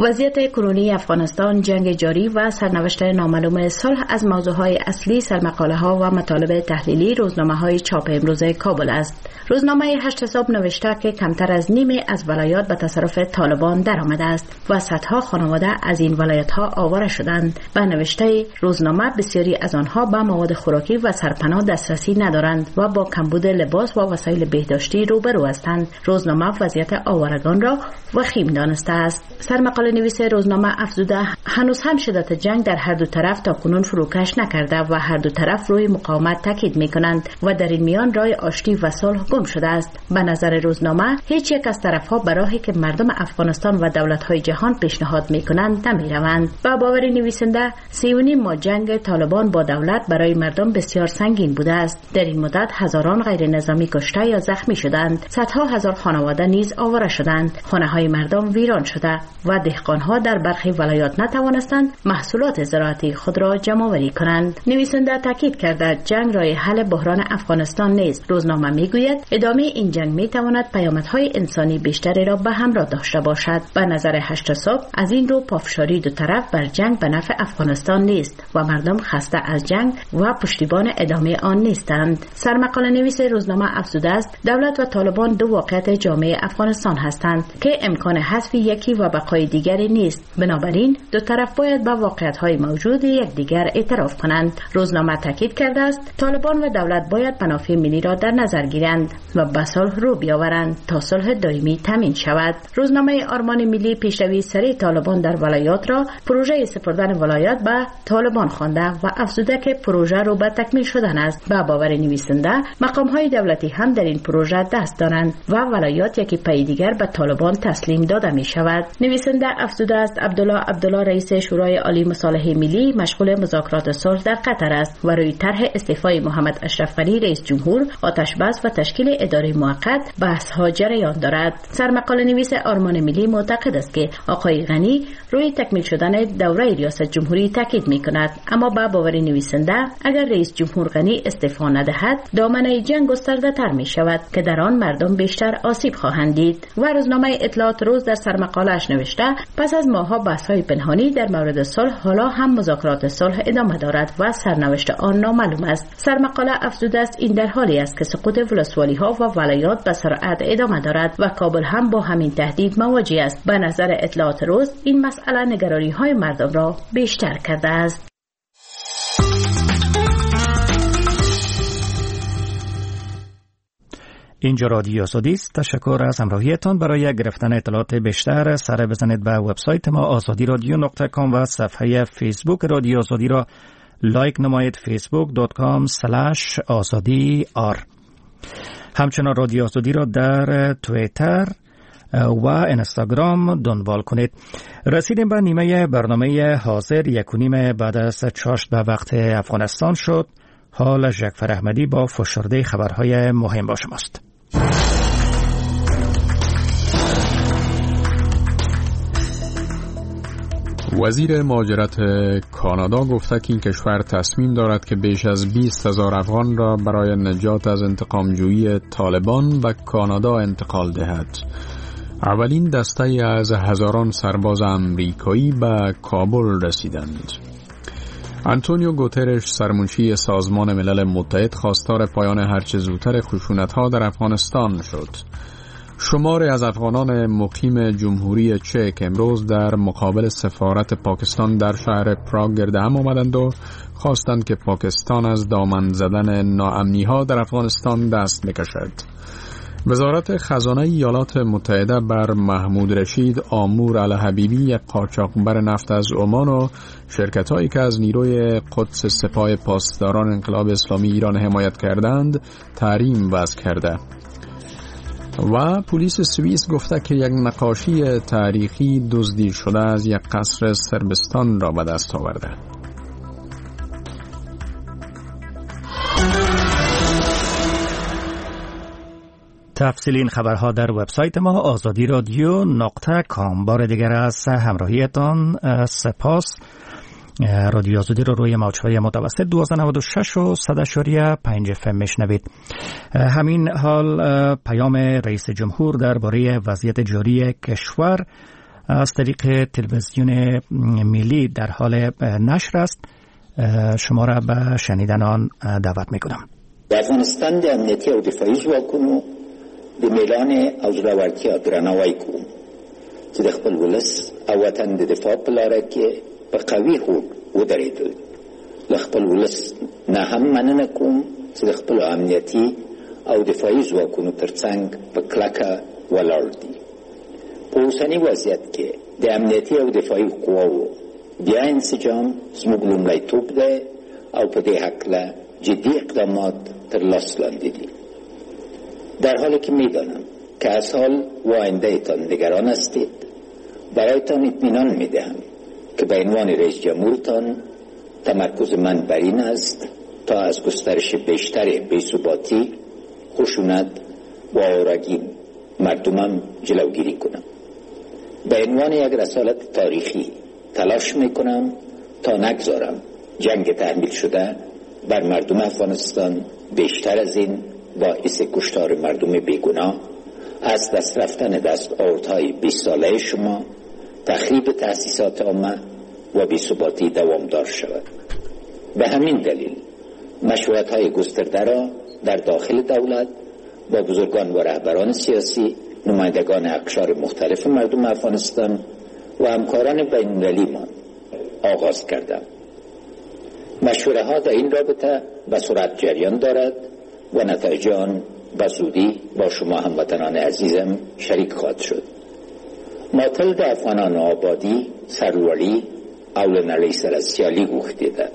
وضعیت کنونی افغانستان، جنگ جاری و سرنوشت نامعلوم صلح از موضوعهای اصلی سرمقاله ها و مطالب تحلیلی روزنامه های چاپ امروز کابل است. روزنامه هشت حساب نوشته که کمتر از نیمه از ولایات به تصرف طالبان درآمده است و صدها خانواده از این ولایت ها آواره شدند. به نوشته روزنامه بسیاری از آنها به مواد خوراکی و سرپناه دسترسی ندارند و با کمبود لباس و وسایل بهداشتی روبرو هستند. روزنامه وضعیت آوارگان را وخیم دانسته است. سرمقاله نویس روزنامه افزوده هنوز هم شدت جنگ در هر دو طرف تا کنون فروکش نکرده و هر دو طرف روی مقاومت تاکید میکنند و در این میان راه آشتی و صلح گم شده است. به نظر روزنامه هیچ یک از طرفها به راهی که مردم افغانستان و دولت‌های جهان پیشنهاد میکنند نمیروند. به باور نویسنده سه و نیم ماه جنگ طالبان با دولت برای مردم بسیار سنگین بوده است. در این مدت هزاران غیر نظامی کشته یا زخمی شدند، صدها هزار خانواده نیز آواره شدند، خانه‌های مردم ویران شده و دهقانها در برخی ولایات نتوانستند محصولات زراعتی خود را جمع‌آوری کنند. نویسنده تاکید کرده جنگ راه حل بحران افغانستان نیست. روزنامه میگوید ادامه این جنگ میتواند پیامدهای انسانی بیشتری را به همراه داشته باشد. به نظر هشت صبح از این رو پافشاری دو طرف بر جنگ به نفع افغانستان نیست و مردم خسته از جنگ و پشتیبان ادامه آن نیستند. سرمقاله نویس روزنامه افزوده است دولت و طالبان دو واقعیت جامعه افغانستان هستند که امکان حذف یکی و بقای دیگری نیست. بنابراین دو طرف باید به واقعیت‌های موجود یکدیگر اعتراف کنند. روزنامه تاکید کرده است طالبان و دولت باید منافع ملی را در نظر گیرند و به صلح رو بیاورند تا صلح دائمی تامین شود. روزنامه آرمان ملی پیشروی سریع طالبان در ولایات را پروژه سپردن ولایات به طالبان خوانده و افزوده که پروژه رو به تکمیل شدن است. به باور نویسنده مقام‌های دولتی هم در این پروژه دست دارند و ولایات یکی پی دیگر به طالبان تسلیم داده می شود. نویسنده افزوده است عبدالله عبدالله رئیس شورای عالی مصالحه ملی مشغول مذاکرات صلح در قطر است و روی طرح استعفای محمد اشرف غنی رئیس جمهور، آتش بس و تشکیل اداره موقت بحث ها جریان دارد. سرمقاله نویس آرمان ملی معتقد است که آقای غنی روی تکمیل شدن دوره ریاست جمهوری تاکید می کند، اما به باور نویسنده اگر رئیس جمهور غنی استعفا ندهد دامنه جنگ گسترده تر می شود که در آن مردم بیشتر آسیب خواهند دید. و روزنامه اطلاعات روز در سرمقاله‌اش نوشته پس از ماه‌ها بحث‌های پنهانی غنی در مورد صلح حالا هم مذاکرات صلح ادامه دارد و سرنوشت آن نامعلوم است. سرمقاله افزوده است این در حالی است که سقوط ولسوالی‌ها و ولایات به سرعت ادامه دارد و کابل هم با همین تهدید مواجه است. به نظر اطلاعات روز این مسئله نگرانی‌های مردم را بیشتر کرده است. اینجا رادیو آزادی است. تشکر از همراهیتان. برای گرفتن اطلاعات بیشتر سر بزنید به وبسایت ما آزادی رادیو نقطه کام و صفحه فیسبوک رادیو آزادی را لایک نمایید، فیسبوک دات کام اسلش آزادی آر. همچنان رادیو آزادی را در توییتر و اینستاگرام دنبال کنید. رسیدیم به نیمه برنامه حاضر، یک و نیم بعد از چاشت به وقت افغانستان شد. حال جعفر احمدی با فشرده خبرهای مهم با شماست. وزیر مهاجرت کانادا گفته که این کشور تصمیم دارد که بیش از بیست هزار افغان را برای نجات از انتقامجویی طالبان به کانادا انتقال دهد. اولین دسته از هزاران سرباز امریکایی به کابل رسیدند. آنتونیو گوترش سرمنشی سازمان ملل متحد خواستار پایان هرچه زودتر خشونت‌ها در افغانستان شد. شماری از افغانان مقیم جمهوری چک امروز در مقابل سفارت پاکستان در شهر پراگ گرد هم آمدند و خواستند که پاکستان از دامن زدن ناامنی‌ها در افغانستان دست بکشد. وزارت خزانه ایالات متحده بر محمود رشید آمور الحبیبی، یک قاچاقبر نفت از عمان و شرکت‌هایی که از نیروی قدس سپاه پاسداران انقلاب اسلامی ایران حمایت کردند، تحریم وضع کرده. و پلیس سوئیس گفته که یک نقاشی تاریخی دزدی شده از یک قصر صربستان را به دست آورده. تفصیل این خبرها در وبسایت ما آزادی رادیو نقطه کام. بار دیگر از همراهیتان سپاس. رادیو آزادی رو روی موج‌های متوسط دوازده نود و شش و صد اعشاریه پنج اف ام میشنوید. همین حال پیام رئیس جمهور درباره وضعیت جاری کشور از طریق تلویزیون ملی در حال نشر است. شما را به شنیدن آن دعوت میکنم. د افغانستان د امنیتي او دفاعي ځواکونو د میلانې او زړورتیا درناوی کوم چې د خپل ولس او وطن د دفاع په لاره کې په قوي هوډ ودرېدل. له خپل ولس نه هم مننه کوم چې د خپلو امنیتي او دفاعي ځواکونو ترڅنګ په کلکه ولاړ دي. په اوسني وضعیت کې د امنیتي او دفاعي قواو بیا انسجام زموږ لومړیتوب دی او په دې هکله جدي اقدامات تر لاس لاندې دي. در حالی که میدانم که از حال و آیندهتان نگران هستید، برایتان اطمینان میدهم که به عنوان رئیس جمهورتان تمرکز من بر این است تا از گسترش بیشتر بی‌ثباتی، خشونت و آوارگی مردمم جلوگیری کنم. به عنوان یک رسالت تاریخی تلاش میکنم تا نگذارم جنگ تحمیل شده بر مردم افغانستان بیشتر از این باعث کشتار مردم بیگناه، از دست رفتن دست آوردهای بیست ساله شما، تخریب تأسیسات عامه و بی‌ثباتی دوامدار شود. به همین دلیل مشورت‌های گسترده را در داخل دولت با بزرگان و رهبران سیاسی، نمایندگان اقشار مختلف مردم افغانستان و همکاران بین‌المللی‌مان آغاز کردم. مشوره ها در این رابطه به سرعت جریان دارد و نتایج آن به زودی با شما هموطنان عزیزم شریک خواهد شد. ما تل د افغانانو آبادي، سرلوړي او له نړۍ سره سیالي غوښتې ده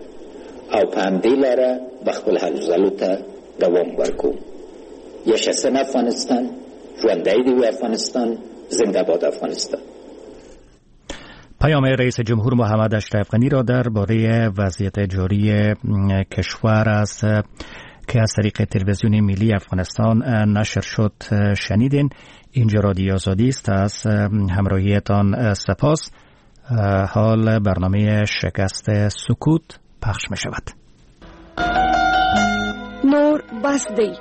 او په همدې لاره به خپل هلو ځلو ته دوام ورکوم. یشسن افغانستان، ژوندی دی وي افغانستان، زنده باد افغانستان. پیام رئیس جمهور محمد اشرف غنی را درباره وضعیت جاری کشور از که از طریق تلویزیون ملی افغانستان نشر شد شنیدین. اینجا رادیو آزادی است. از همراهیتان سپاس. حال برنامه شکست سکوت پخش می شود. نور بس دی.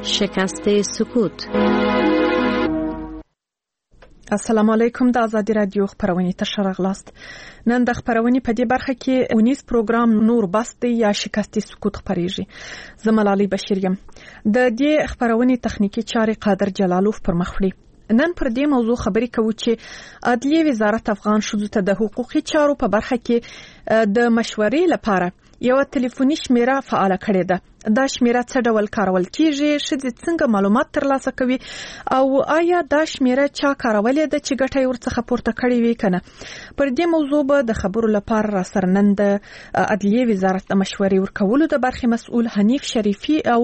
شکست سکوت. السلام علیکم، د ازادي رادیو خپرونې ته ښه راغلاست. نن د خپرونې په دې برخه کې اونیز پروګرام نور بس دی یا شکستي سکوت خپرېږي. زه ملالۍ بشیر یم. د دې خپرونې تخنیکي چارې قادر جلالوف پر مخ وړي. نن پر دې موضوع خبرې کوو چې عدلیې وزارت افغان ښځو ته د حقوقي چارو په برخه کې د مشورې لپاره یوه تلیفوني شمیره فعاله کړې ده. دا شمیره څه ډول کارول کیږي، ښځې څنګه معلومات ترلاسه کوي او آیا دا شمیره چا کارولې ده چې ګټه یې ورڅخه پورته کړې وي که نه؟ پر دې موضوع به د خبرو لپاره راسره نن د عدلیې وزارت د مشورې ورکولو د برخې مسؤل حنیف شریفي او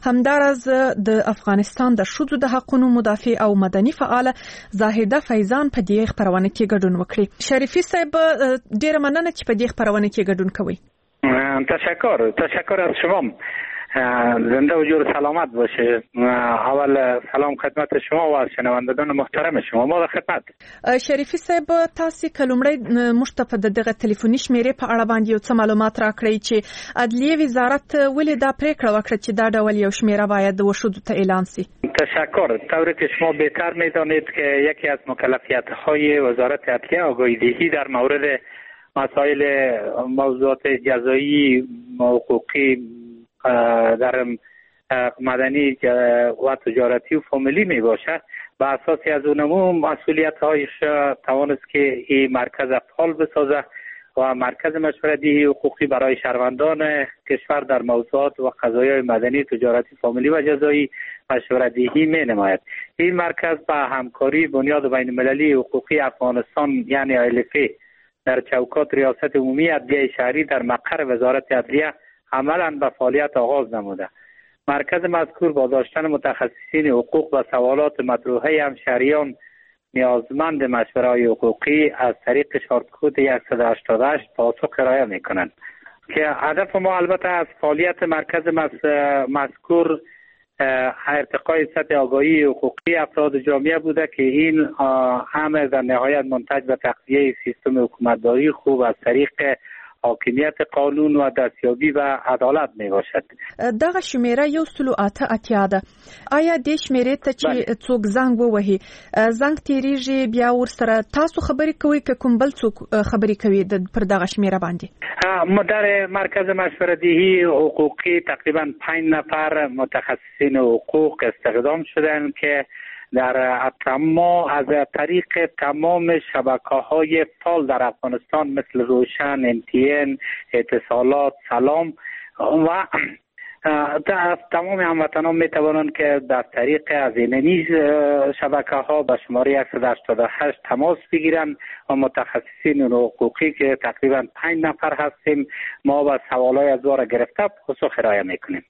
همداراز د افغانستان د ښځو د حقونو مدافع او مدني فعاله زاهده فیضان په دې خپرونه کې ګډون وکړي. شریفي صاحب، ډېره مننه چې په دې خپرونه کې ګډون کوئ. تشکر تشکر از شما، زنده و جور سلامت باشه. اول سلام خدمت شما و شنوندگان محترم شما، ما در خدمت. شریفي صاحب، تاسو که لومړی موږ ته په دغه تلیفوني شمیرې په اړه باندې یو څه معلومات راکړئ چې عدلیې وزارت ولې دا پریکړه وکړه چې دا ډول یو شمیره باید وښودو ته اعلان سي؟ تشکر. طوری که شما بهتر میدانید که یکی از مکلفیت های وزارت عدلیه آگاهی دهی در مورد مسائل موضوعات جزایی، حقوقی، در مدنی و تجارتی و فامیلی می باشد. به اساس از اونمو مسئولیت هایش توانست که این مرکز فعال بسازه و مرکز مشورتی حقوقی برای شهروندان کشور در موضوعات و قضایای مدنی، تجارتی، فامیلی و جزایی مشورت‌دهی می نماید. این مرکز با همکاری بنیاد بین المللی حقوقی افغانستان یعنی آی ال اف در چوکات ریاست عمومی عدلیه شهری در مقر وزارت عدلیه عملاً به فعالیت آغاز نموده. مرکز مذکور با داشتن متخصصین حقوق و سوالات مطروحه همشهریان نیازمند مشوره‌های حقوقی از طریق شارت کد صد و هشتاد و هشت پاسخ ارائه می‌کنند که هدف ما البته از فعالیت مرکز مذکور ارتقای سطح آگاهی حقوقی افراد جامعه بوده که این امر در نهایت منتج به تقویه سیستم حکومتداری خوب از طریق حاکمیت قانون و دستیابی به عدالت می باشد. دغه شمیره یو سل اته اتیا ده. آیا دې شمیرې ته چې څوک زنګ ووهي، زنګ تیریږي بیا ورسره تاسو خبرې کوئ که کوم بل څوک خبرې کوي پر دغه شمیره باندې؟ در مرکز مشورت‌دهی حقوقی تقریبا پنج نفر متخصصین حقوق استخدام شدند که در تمام از طریق تمام شبکه‌های فعال در افغانستان مثل روشن، ام تی ان، اتصالات، سلام و تمام هموطنان می توانند که در طریق از اینی شبکه ها به شماره صد و هشتاد و هشت تماس بگیرند و متخصصین حقوقی که تقریبا پنج نفر هستیم ما با سوالای از واره گرفته پاسخ ارائه میکنیم.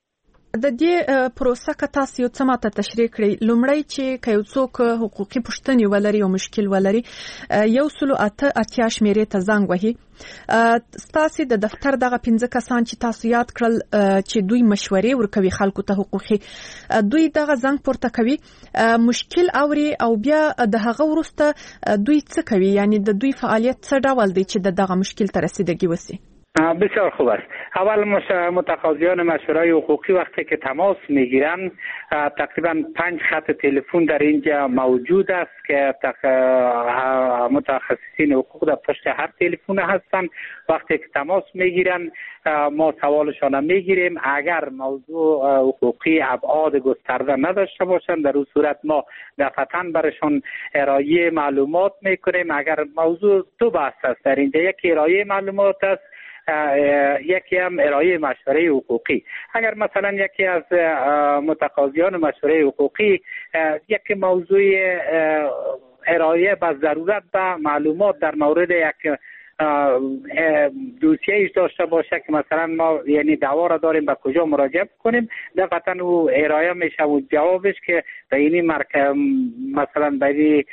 د دې پروسه که تاسو یو څه ماته تشریح کړئ. لومړی چې که یو څوک حقوقي پوښتنې ولري او مشکل ولري، یو سل اته اتیا شمیرې ته زنګ وهي. ستاسې د دفتر دغه پنځه کسان چې تاسو یاد کړل چې دوی مشورې ورکوي خلکو ته حقوقي، دوی دغه زنګ پورته کوي، مشکل اوري او بیا د هغه وروسته دوی څه کوي؟ یعنی د دوی فعالیت څه ډول دی چې د دغه مشکل ته رسیدګي وسي؟ بسیار خوب است. اول متقاضیان مشوره‌های حقوقی وقتی که تماس میگیرن تقریبا پنج خط تلفن در اینجا موجود است که متخصصین حقوق در پشت هر تلفن هستند. وقتی که تماس میگیرن ما سوالشان میگیریم. اگر موضوع حقوقی ابعاد گسترده نداشته باشند در اون صورت ما دفعتاً برشان ارائه معلومات میکنیم. اگر موضوع دو بحث است در اینجا، یکی ارائه معلومات است، یکی هم ارائه مشوره حقوقی. اگر مثلا یکی از متقاضیان مشوره حقوقی یک موضوع ارائه به ضرورت به معلومات در مورد یک دوسیه ایش داشته باشه که مثلا ما یعنی دعوا را داریم به کجا مراجعه کنیم، دفعتا او ارائه میشه و جوابش که به اینی مرک... مثلا به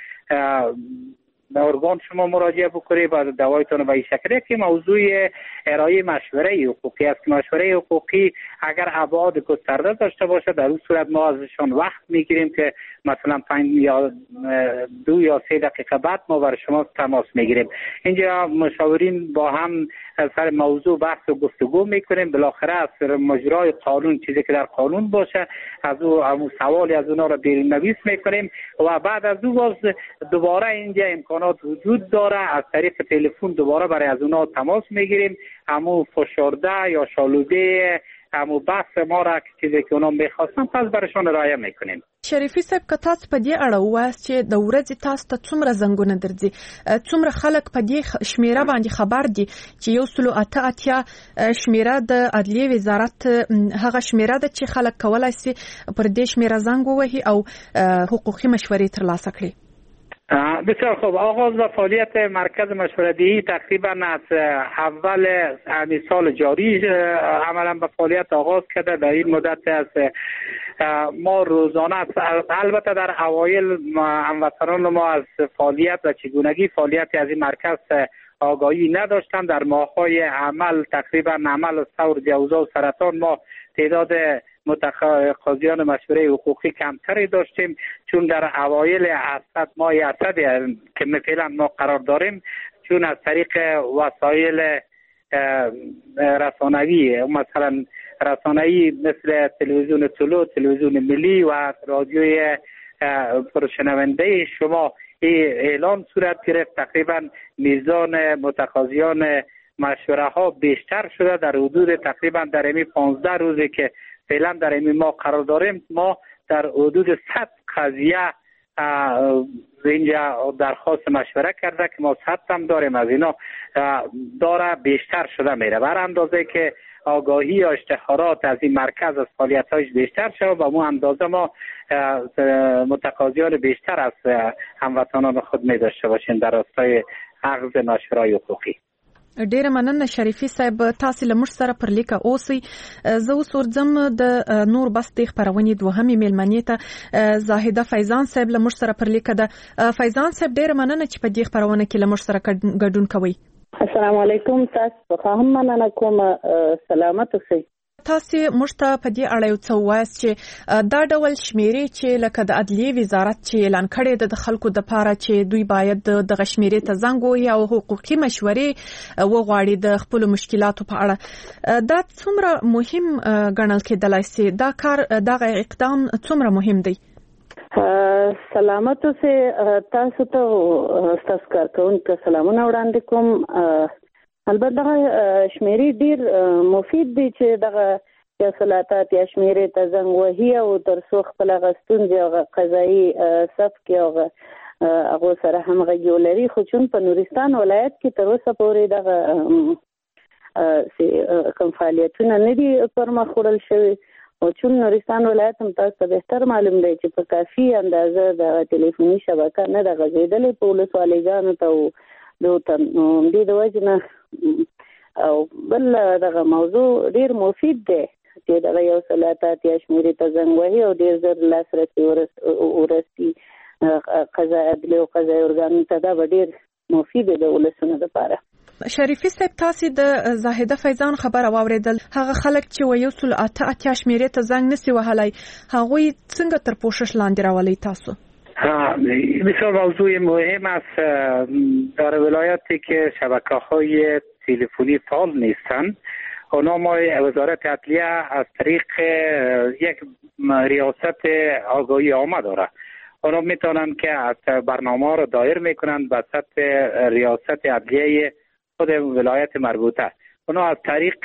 ارگان شما مراجعه بکنید، بعد دوایتون به این شکل. که موضوع ارائه مشوره حقوقی است. مشوره حقوقی اگر ابعاد گسترده داشته باشه، در اون صورت ما ازشان وقت میگیریم که مثلا پنج یا دو یا سه دقیقه بعد ما برای شما تماس میگیریم. اینجا مشاورین با هم سر موضوع بحث و گفتگو میکنیم. بالاخره از مجرای قانون، چیزی که در قانون باشه، از او همون سوالی از اونا را نویس میکنیم و بعد از او باز دوباره اینجا امکانات وجود داره، از طریق تلفن دوباره برای از اونا تماس میگیریم، همون فشرده یا شالوده همون بحث ما را چیزی که اونا میخواستن پس برشان ارائه میکنیم. شریفي صاحب، که تاسو په دې اړه ووایاست چې د ورځې تاسو ته څومره زنګونه درځي، څومره خلک په دې شمیره باندې خبر دي چې یو سل اته اتیا شمیره د عدلیې وزارت هغه شمیره ده چې خلک کولای شي پر دې شمیره زنګ ووهي او حقوقي مشورې ترلاسه کړي؟ بسیار خوب. آغاز و فعالیت مرکز مشوره‌دهی تقریبا از اول همین سال جاری عملا به فعالیت آغاز کرده. در این مدت از ما روزانه، البته در اوایل هموطنان ما از فعالیت و چگونگی فعالیت از این مرکز آگاهی نداشتند. در ماه‌های عمل تقریبا عمل ثور، جوزا و سرطان ما تعداد متقاضیان مشوره حقوقی کمتری داشتیم، چون در اوایل اسد، ماه اسد که فعلا ما قرار داریم، چون از طریق وسایل رسانه‌ای، مثلا رسانه‌ای مثل تلویزیون طلوع، تلویزیون ملی و رادیوی پرشنونده شما اعلان صورت گرفت، تقریبا میزان متقاضیان مشوره ها بیشتر شده. در حدود تقریبا در این پانزده روزی که فعلا در این ما قرار داریم، ما در حدود صد قضیه اینجا درخواست مشوره کرده که ما صد هم داریم، از اینا داره بیشتر شده میره. بر اندازه که آگاهی یا اشتهارات از این مرکز از فعالیت‌هایش بیشتر شود و مو اندازه ما متقاضیان بیشتر از هموطنان خود می داشته باشیم در راستای اخذ مشوره حقوقی. ډیره مننه شریفي صاحب، تاسو له موږ سره پر لیکه اوسئ. زه اوس ورځم د نور بس د خبرونې دوهمې میلمنې ته، زاهده فیضان صاحب له موږ سره پر لیکه ده. فیضان صاحب، ډیره مننه چې په دې خبرونه کې له موږ سره ګډون کوئ. السلام علیکم، تاسو څخه هم مننه کوم، سلامت اوسئ. تاسو موږ ته په دې اړه یو څه ووایاست چې دا ډول شمیرې چې لکه د عدلیې وزارت چې اعلان کړې ده د خلکو د پاره چې دوی باید دغه شمیرې ته زنګ ووهي او حقوقي مشورې وغواړي د خپلو مشکلاتو په اړه، دا څومره مهم ګڼل کېدلای شي؟ دا کار، دغه اقدام څومره مهم دی؟ سلامت اوسئ. تاسو ته ستاسو کارکوونکو سلامونه وړاندې کوم. البته دغه شمیرې ډیر مفید دي چې دغه یو سل اته اتیا شمیرې ته زنګ وهي او تر څو خپل هغه ستونزې او قضایي صف کې هغه هغو سره همغږي ولري. خو چون په نورستان ولایت کې تر اوسه پورې دغه کوم فعالیتونه نه دي پر مخ وړل شوي، او چون نورستان ولایت هم تاسو ته بهتر معلوم دی چې په کافي اندازه دغه ټلیفوني شبکه نه ده غځېدلې په ولسوالیګانو ته او دوی نو دې د وجې نه. او بل دغه موضوع ډیر مفید دی چې دغه یو سل اته اتیا شمیرې ته زنګ وهي او ډیر زر لاسرسي ورسي قضا عدلي او قضایي ارګانونو ته. دا به ډیر مفید دی د ولسونو لپاره. شریفي صاحب، تاسو د زاهده فیضان خبره واورېدل، هغه خلک چې و یو سل اته اتیا شمیرې ته زنګ نسی وهلی، هغوی څنګه تر پوښښ لاندې راولئ تاسو؟ بسیار موضوع مهم است. در ولایاتی که شبکه‌های تلفنی فعال نیستند، اونا ما وزارت عدلیه از طریق یک ریاست آگاهی عامه داره، اونا میتونن که از برنامه را دایر میکنن به سطح ریاست عدلیه خود ولایت مربوطه. اونا از طریق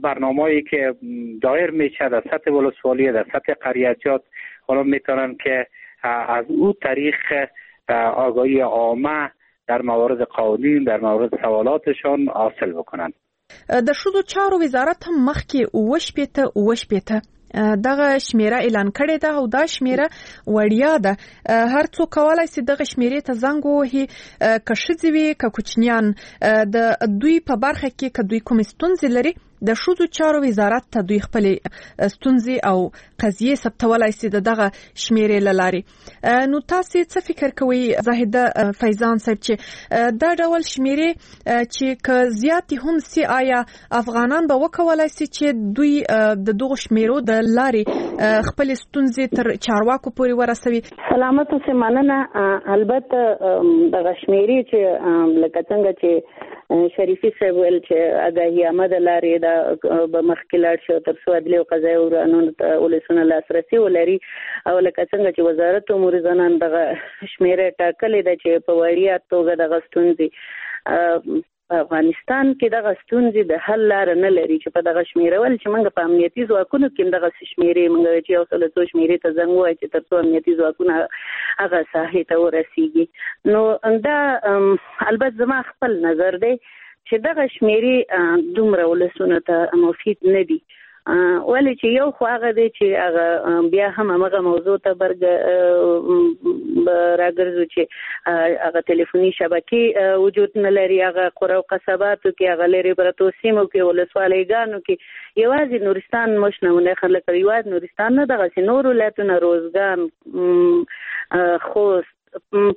برنامه‌ای که دایر میشه در سطح ولسوالی، در سطح قریه‌جات، اونا میتونن که از او طریق آگاهی عامه در موارد قوانین، در موارد سوالاتشان حاصل بکنن. د ښځو چارو وزارت هم مخکې اووه شپېته اووه شپېته دغه شمیره اعلان کړې ده او دا شمیره وړیا ده، هر څوک کولای شي دغه شمیرې ته زنګ ووهي، که ښځې وي که کوچنیان، د دوی په برخه کې که دوی کومې ستونزې لري د ښځو چارو وزارت ته دوی خپلې ستونزې او قضیې ثبتولای شي د دغه شمیرې له لارې. نو تاسو څه فکر کوئ زاهده فیضان صاحب چې دا ډول شمیرې چې که زیاتې هم سي، آیا افغانان به وکولای شي چې دوی د دغو شمیرو د لارې خپلې ستونزې تر چارواکو پورې ورسوي؟ سلامت اوسې، مننه. البته دغه شمیرې چې لکه څنګه چې شریفي صاحب ویل چې آګاهي عامه د لارې دا به مخکې لاړ شي او تر څو عدلي او قضایي ارګانونو ته ولسونه لاسرسی ولري، او لکه څنګه چې وزارت امور زنان دغه شمیره ټاکلې ده چې په وړیا توګه دغه ستونزې په افغانستان کې دغه ستونزې د حل لاره نه لري چې په دغه شمیره ول چې موږ په امنیتي ځواکونو کې دغه شمیرې موږ چې یو سل څو شمیرې ته زنګ ووایي چې تر څو امنیتي ځواکونه هغه ساحې ته ورسیږي. نو دا البته زما خپل نظر دی چې دغه شمیرې دومره ولسونو ته مفید نه دي، ولې چې یو خو هغه دی چې هغه بیا هم همغه موضوع ته برګ راګرځو چې هغه تلیفوني شبکې وجود نه لري، هغه قره او قصباتو کې، هغه لرې پرتو سیمو کې، ولسوالیګانو کې. یوازې نورستان موږ نمونه خلک یوازې نورستان نه، دغسې نور ولایتونه، روزګان، خوست،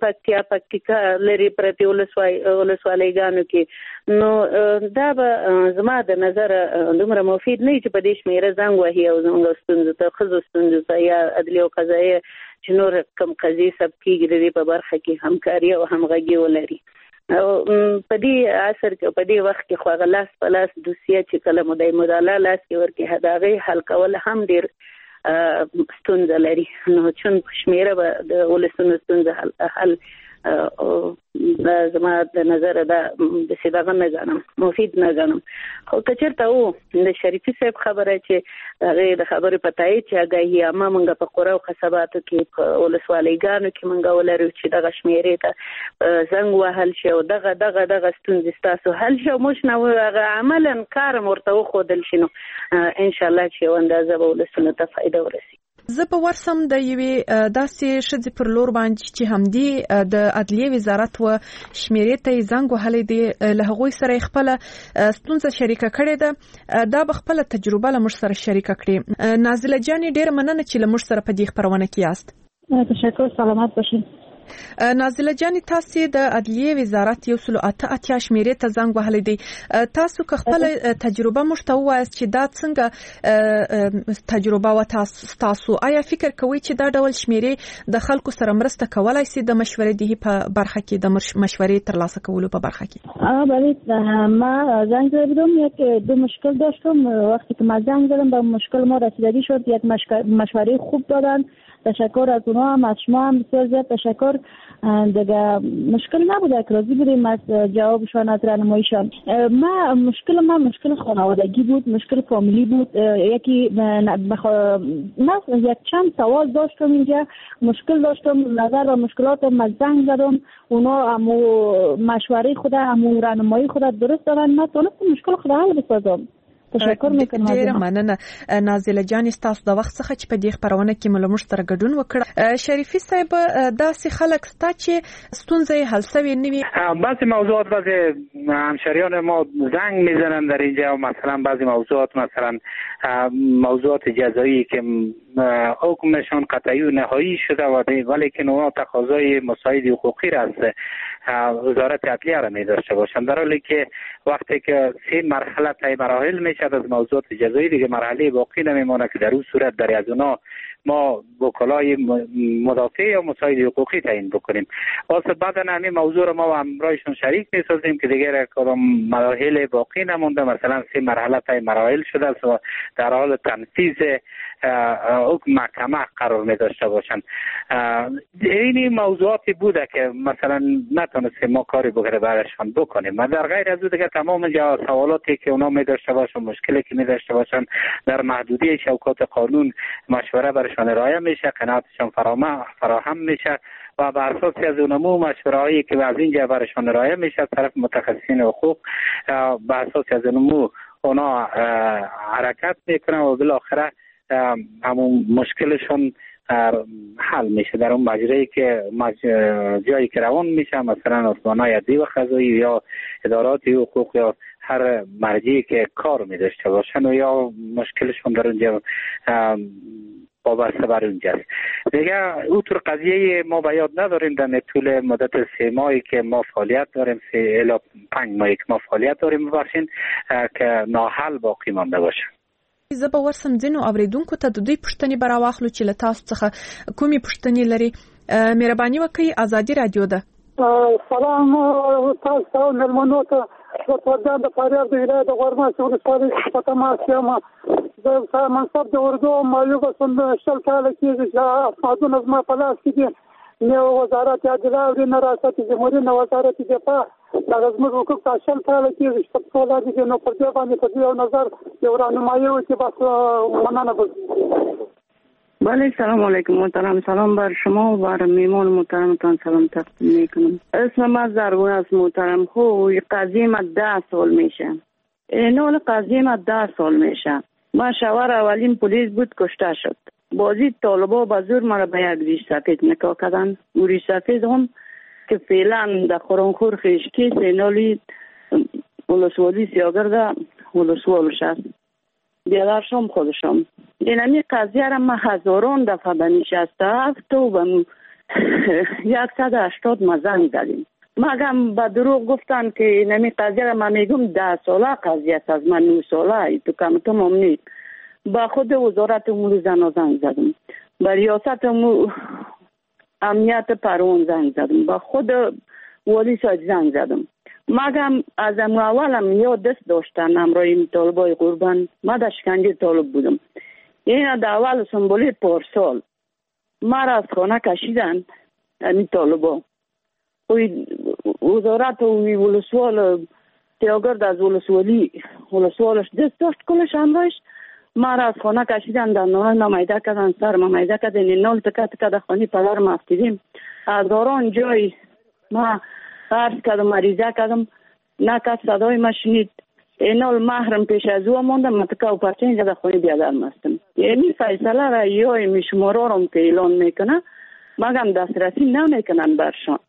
پکتیا، پکتیکا، لرې پرتې ولسوالیګانو کې. نو دا به زما د نظر دومره مفید نه چې په دې شمیره زنګ وهي او زموږ ستونزو ته، ښځو ستونزو ته یا عدلي او قضایي چې نور کوم قضیې ثبت کېږي د دې په برخه کې همکاري او همغږي ولري. او په دې عصر کې، په دې وخت کې خو هغه لاس په لاس دوسیه چې کله مو د مدالا لاس کې ورکړي، د هغې حل کول هم ډېر ستونزه لري. نو چون شمیره به د ولسونو ستونزه حل حل زما د نظر دا داسې دغه نه ګڼم، مفید نه ګڼم. خو که چېرته و د شریفي صاحب خبره چې هغې د خبرې په تایید چې آګاهي عامه موږ په قره او قصباتو کې، په ولسوالیګانو کې موږ ولرو چې دغه شمیرې ته زنګ وهل شي او دغه دغه دغه ستونزې ستاسو حل شي او موږ نه هغه عملاً کار هم ورته وښودل شي، نو انشاءالله چې یو اندازه به ولسونو ته فایده ورسي. زه به ورسم د یوې داسې ښځې پر لور باندې چې همدې د عدلیې وزارت و شمیرې ته یې زنګ وهلی دی، له هغوی سره یې خپله ستونزه شریکه کړې ده. دا به خپله تجربه له موږ سره شریکه کړي. نازله جانې، ډېره مننه چې له موږ سره په دې خپرونه کې یاست. تشکر، سلامت باشین. نازله جانې، تاسو د عدلیې وزارت یو سل اته اتیا شمیرې ته زنګ وهلی دی. تاسو که خپله تجربه موږ ته ووایاست چې دا څنګه تجربه وه تاسو، آیا فکر کوئ چې دا ډول شمیرې د خلکو سره مرسته کولای شي د مشورې دهي په برخه کې، د مشورې ترلاسه کولو په برخه کې؟ بله، ما زنگ زده بودم، یک دو مشکل داشتم. وقتی که ما زنگ زدم به مشکل ما رسیدگی شد، یک مشوره خوب دادن. تشکر از اونها هم، از شما هم بسیار زیاد تشکر. دیگه مشکل نبوده، راضی بودیم از جوابشان، از راهنماییشان. ما مشکل ما مشکل خانوادگی بود، مشکل فامیلی بود. یکی بخ... من یک چند سوال داشتم اینجا، مشکل داشتم، نظر به مشکلات ما زنگ زدم، اونا امو مشوره خود، امو راهنمایی خود درست دادن، من تونستم مشکل خود حل بسازم. تشکر میکنم. ډیره مننه نازله جانې، ستاسو د وخت څخه چې په دې خپرونه کې مو له موږ سره ګډون وکړ. شریفي صاحب، داسې خلک سته چې ستونزه یې حل شوې نه وي؟ بعضی موضوعات بعضی همشهریان ما زنگ میزنن در اینجا، مثلا بعضی موضوعات، مثلا موضوعات جزایی که حکمشان قطعی و نهایی شده ولیکن اونا تقاضای مساعد حقوقی را از وزارت عدلیه را می داشته باشند، در حالی که وقتی که سه مرحله طی مراحل میشه از موضوعات جزایی، دیگه مرحله باقی نمیمانه که در اون صورت در از اونا ما وکلای مدافع یا مساعد حقوقی تعیین بکنیم. واسه بعدا همین موضوع رو ما همراهشون شریک میسازیم که دیگه کدام مراحل باقی نمونده، مثلا سه مرحله طی مراحل شده است و در حال تنفیذ حکم محکمه قرار می داشته باشند. این موضوعاتی بوده که مثلا نتونستیم ما کاری بگره برشان بکنیم. ما در غیر از او دیگه تمام سوالاتی که اونا می داشته باشن، مشکلی که می داشته باشن، در محدوده چوکات قانون مشوره برشان ارائه میشه، قناعتشان فراهم میشه و بر اساس از اونمو مشوره هایی که از اینجا برشان ارائه میشه از طرف متخصصین حقوق، بر اساس از اونمو اونا حرکت میکنن و بالاخره همون مشکلشون حل میشه در اون مجرایی که مج... جایی که روان میشه، مثلا ارگان‌های عدلی و قضایی یا ادارات حقوق یا هر مرجعی که کار می داشته باشن و یا مشکلشون در اونجا وابسته بر اونجاست. دیگه او طور قضیه ما به یاد نداریم در طول مدت سه ماهی که ما فعالیت داریم، سه الی پنج ماهی که ما فعالیت داریم ببخشین که ناحل باقی مانده باشه. زه به ورسم ځینو اوریدونکو ته د دوی پوښتنې به راواخلو چې له تاسو څخه کومې پوښتنې لري. مهرباني وکړئ، ازادي رادیو ده. سلام تاسو ته مېلمنو ته. زه د فاریاب د ولایت د غورماسي ولسوالۍ څخه په تماس یم. زه منصب د اردو معیوب شل کاله کېږي چې اسنادونه زما په لاس کې دي، نه وزارت عدلیه اوري، نه ریاست جمهوري، نه وزارت دفاع. دغه زموږ حقوق تا شل کاله کېږي چې په پښو لاندې دي. نو پر دې باندې په دې یو نظر یو رهنمایي وکړي، بس مننه به. بله، سلام علیکم محترم. سلام بر شما و بر میمان محترمتان سلام تقدیم میکنم. اسم من زرگون است محترم. خب قضیه ما ده سال میشه، اینال قضیه ما ده سال میشه. من شوهر اولین پلیس بود، کشته شد. بازی طالبا به زور مرا به یک ریش سفید نکاح کردن. او ریش سفید هم که فعلا در خورانخور خیشکی سینالی ولسوالی سیاگرد ولسوالش است، بیادرشم خودشم. اینمی قضیه را من هزاران دفعه به نشسته هفت و به یک صد و هشتاد ما زنگ زدیم، مگم به دروغ گفتن که اینمی قضیه را من میگم ده ساله قضیه است، از من نه ساله تو کم تو هم نیست. با خود وزارت امور زنان زنگ زدم، با ریاست امنیت پروان زنگ زدم، با خود والی ساید زنگ زدم. مگم از اولم یا دست داشتن همراه این طالبای قربان. ما در شکنجه طالب بودم. این در اول سنبولی پارسال مرا از خانه کشیدن این طالبا. وزارت و ولسوال تیاگرد از ولسوالی ولسوالش دست داشت کلش همراهش. مرا از خانه کشیدن، دندانای ما میده کردن، سر ما میده کردن، این نال تکه تکه در خانه پدر ما افتیدیم. هزاران جای ما عرض کردم، مریضه کردم، نه کس صدای ما شنید. اینال محرم پیش از او ماندم، من تکه و پرچه اینجا در خانه بیادر مستم. یعنی فیصله را یا می شمارارم که اعلان میکنه مگم دسترسی نمیکنن برشان.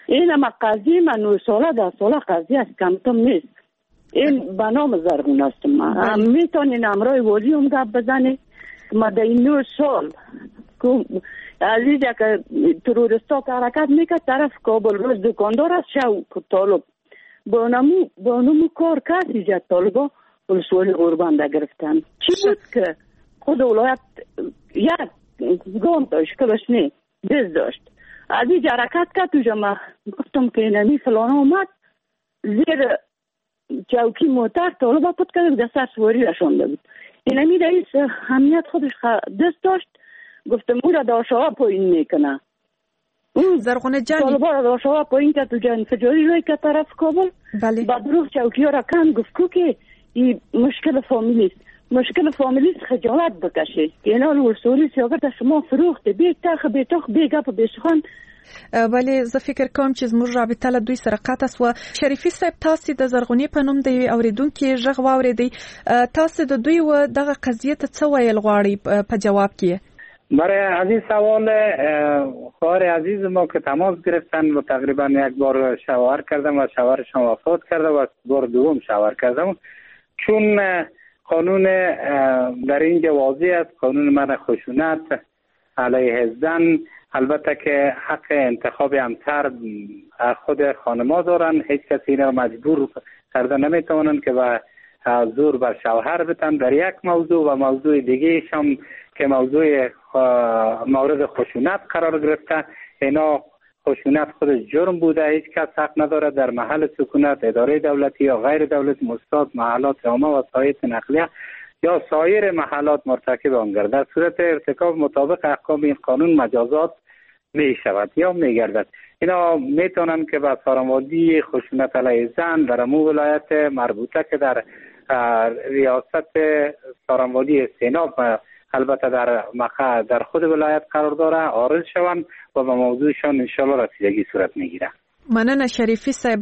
این اما قضیه من نه ساله ده ساله قضیه است، کمتم نیست. این به نام زرگون هستم. من میتونین امرای والی هم گپ بزنی. ما در این نه سال عزیز که تروریستا که حرکت میکرد طرف کابل، روز دکاندار است شو طالب با نمو با نمو کار کسی جد طالبا ولسوالی غوربنده گرفتن. چی بود که خود ولایت یک گام داشت کلش نه دست داشت. از این حرکت کرد توجه ما گفتم که نمی فلان اومد زیر چوکی موتر طالبا پت کرد در سر سواری رشانده بود. اینمی رئیس امنیت خودش دست داشت. گفتم او را داشوا پایین میکنه. زرغونه جان طالبا را داشوا پایین کرد و انفجاری روی که طرف کابل. بله. با دروغ چوکی ها را کن گفت کو که این مشکل فامیلی است. مشکل فامیلی است، خجالت بکشه. اینا ولسوالی سیاگرد شما فروخته بی تخ بی تخ بی گپ بی سخن. بله، زه فکر کوم چې زموږ رابطه له دوی سره قطع سوه. شریفي صاحب، تاسې د زرغونې په نوم د یوې اورېدونکې غږ واورېدی، تاسې د دوی و دغه قضیې ته څه ویل غواړئ په جواب کې؟ برای از این سوال خواهر عزیز ما که تماس گرفتن و تقریبا یک بار شوهر کردم و شوهرشان وفات کرده و بار دوم شوهر کردم، چون قانون در اینجا واضح است، قانون منع خشونت علیه زن، البته که حق انتخاب همسر خود خانما دارن، هیچ کسی را مجبور کرده نمیتوانند که به زور بر شوهر بتن در یک موضوع و موضوع دیگه هم که موضوع مورد خشونت قرار گرفته، اینا خشونت خودش جرم بوده، هیچ کس حق نداره در محل سکونت اداره دولتی یا غیر دولتی، مستاد، محلات عامه و سایر نقلیه یا سایر محلات مرتکب آن گردد. در صورت ارتکاب مطابق احکام این قانون مجازات می شود یا می گردد. اینا می توانند که به سارنوالی خشونت علیه زن در امو ولایت مربوطه که در ریاست سارنوالی سیناب البته در مقر در خود ولایت قرار داره عارض شوند و به موضوعشان انشالله رسیدگی صورت میگیره. مننه شریفي صاحب.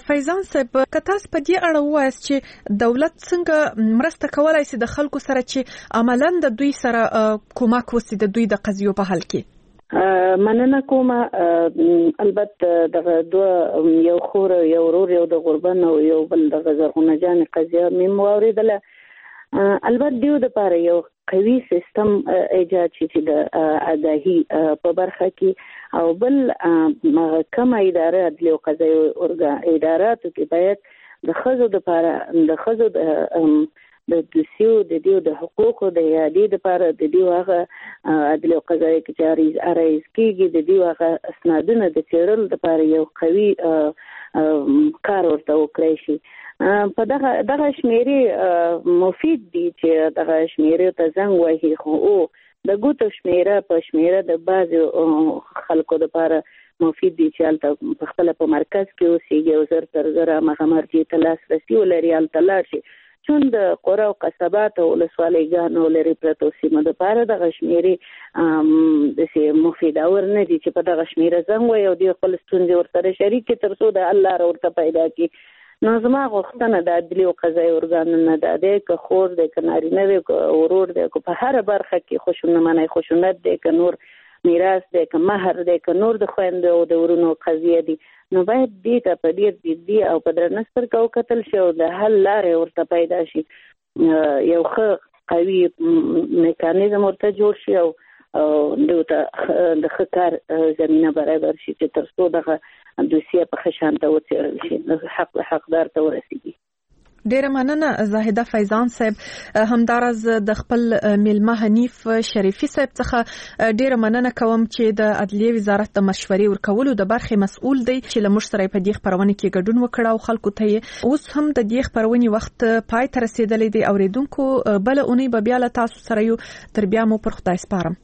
فیضان صاحب، که تاسو په دې اړه ووایاست چې دولت څنګه مرسته کولای شي د خلکو سره چې عملاً د دوی سره کومک وسي د دوی د قضیو په حل کې؟ مننه کوم. البته دغه دوه، یو خور یو ورور، یو د غربن او یو بل دغه زرغونه جان قضیه مې واورېدله. البته دیو د پاره یو قوي سیستم ایجاد شي چې د آګاهي په برخه کې، او بل هغه کومه اداره عدلي او قضایي ارګان اداراتو کې باید د ښځو دپاره د ښځو د د دوسیو د دیو د حقوقو د اعادې دپاره د دیو هغه عدلي او قضایي کې چې عریض عرایض کېږي د دیو هغه اسنادونه د څېړلو دپاره یو قوي کار ورته وکړای شي. په دغه دغه شمیرې مفید دي چې دغه شمیرې ته زنګ وهي، خو او د ګوتو شمیره په شمیره د بعضو خلکو دپاره مفید دي چې هلته په خپله په مرکز کې اوسېږي او زر تر زره هغه مرجع ته لاسرسي ولري، هلته لاړ شي. چون د قره او قصبات او ولسوالۍ ګانو لرې پرتو سیمو دپاره دغه شمیرې داسې مفیدور نه دي چې په دغه شمیره زنګ وهي او دوی خپل ستونزې ورسره شریک کړي تر څو د حل لاره ورته پیدا کړي. نو زما غوښتنه د عدلي او قضایي ارګانونو دا دی که خور دی، که نارینه دی، که ورور دی، که په هره برخه کې خشونت منی خشونت دی، که نور میراث دی، که مهر دی، که نور د خویندو او د ورونو قضیه دي، نو باید دې ته په ډېر جدي او په درنه سترګه وکتل شي او د حل لارې ورته پیدا شي. یو ښه قوي میکانیزم ورته جوړ شي او دوی ته د ښه کار زمینه برابر شي چې تر څو دغه دوسیه په ښه شان ته وڅېړل شي، حق حقدار ته ورسېږي. ډیره مننه زاهده فیضان صاحب. همداراز د خپل میلمه حنیف شریفي صاحب څخه ډیره مننه کوم چې د عدلیې وزارت د مشورې ورکولو د برخې مسؤل دی چې له موږ سره په دې خپرونه کې ګډون وکړ او خلکو ته یې اوس هم د دې خپرونې وخت پای ته رسېدلی دی. اورېدونکو، بله اونۍ به بیا له تاسو سره یو. تر بیا مو پر خدای سپارم.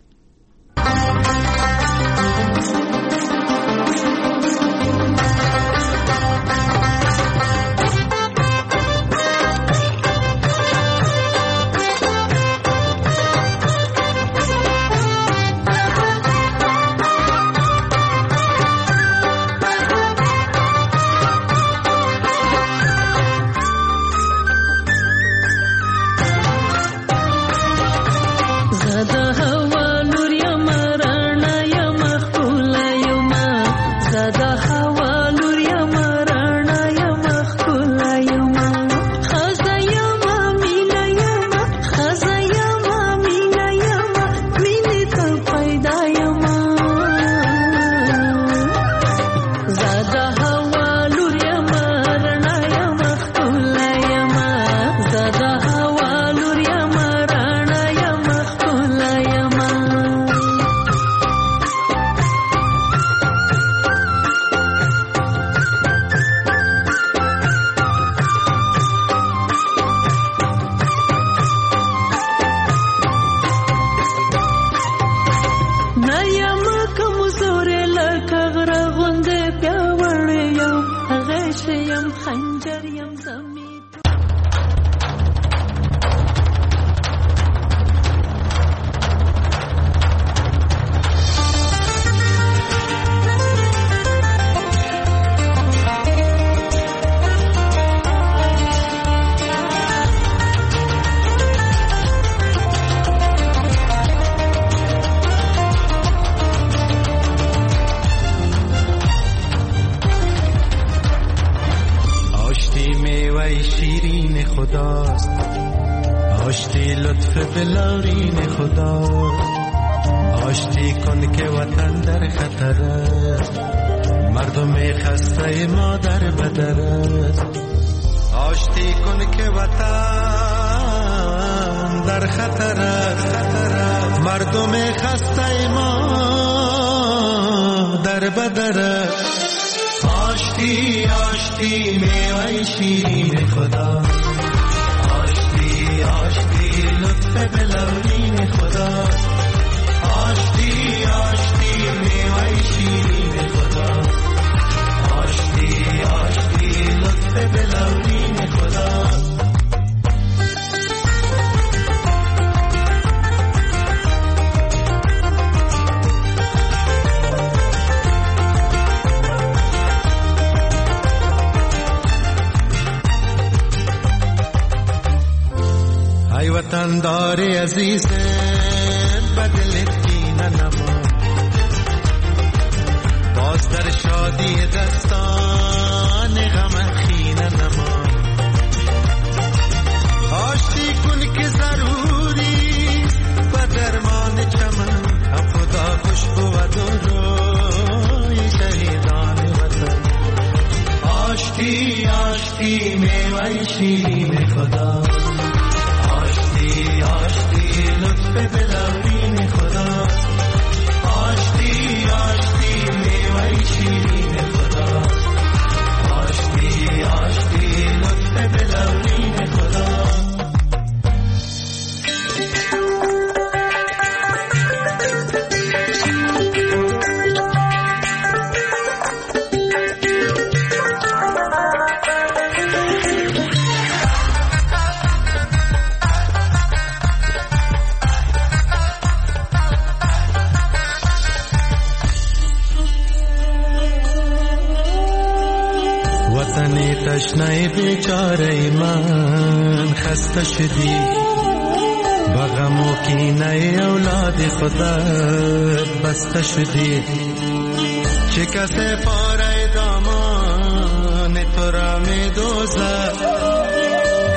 خداست، آشتی لطف بلارین خداست، آشتی کن که وطن در خطر است، مردم خسته ما در بدر است، آشتی کن که وطن در خطر است، مردم خسته ما در بدر است، آشتی آشتی میوه شیرین خدا، آشتی آشتی لطف بلورین خدا، آشتی آشتی میوه شیرین خدا، آشتی آشتی لطف بلورین خدا. وطندار عزیز بدلت کینه نما، باز در شادی دستان غم خینه نما. آشتی کن که ضروری و درمان چمن، هم خدا خوش بود و روی شهیدان وطن. آشتی آشتی میوه شیرین خدا، آشتی آشتی لطف دلاوین خدا، آشتی آشتی میوه شیرین خدا، آشتی آشتی لطف دلاوین خدا. تشنه بیچاره من خسته شدی، با غم و کینه اولاد خودت بسته شدی. چه کسی پاره دامان تو را می دوزد،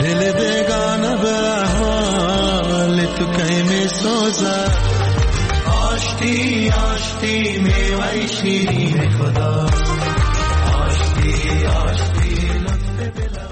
دل بیگانه به احوال تو کی می سوزد. آشتی آشتی میوه شیرین خدا، آشتی آشتی لطف بلا.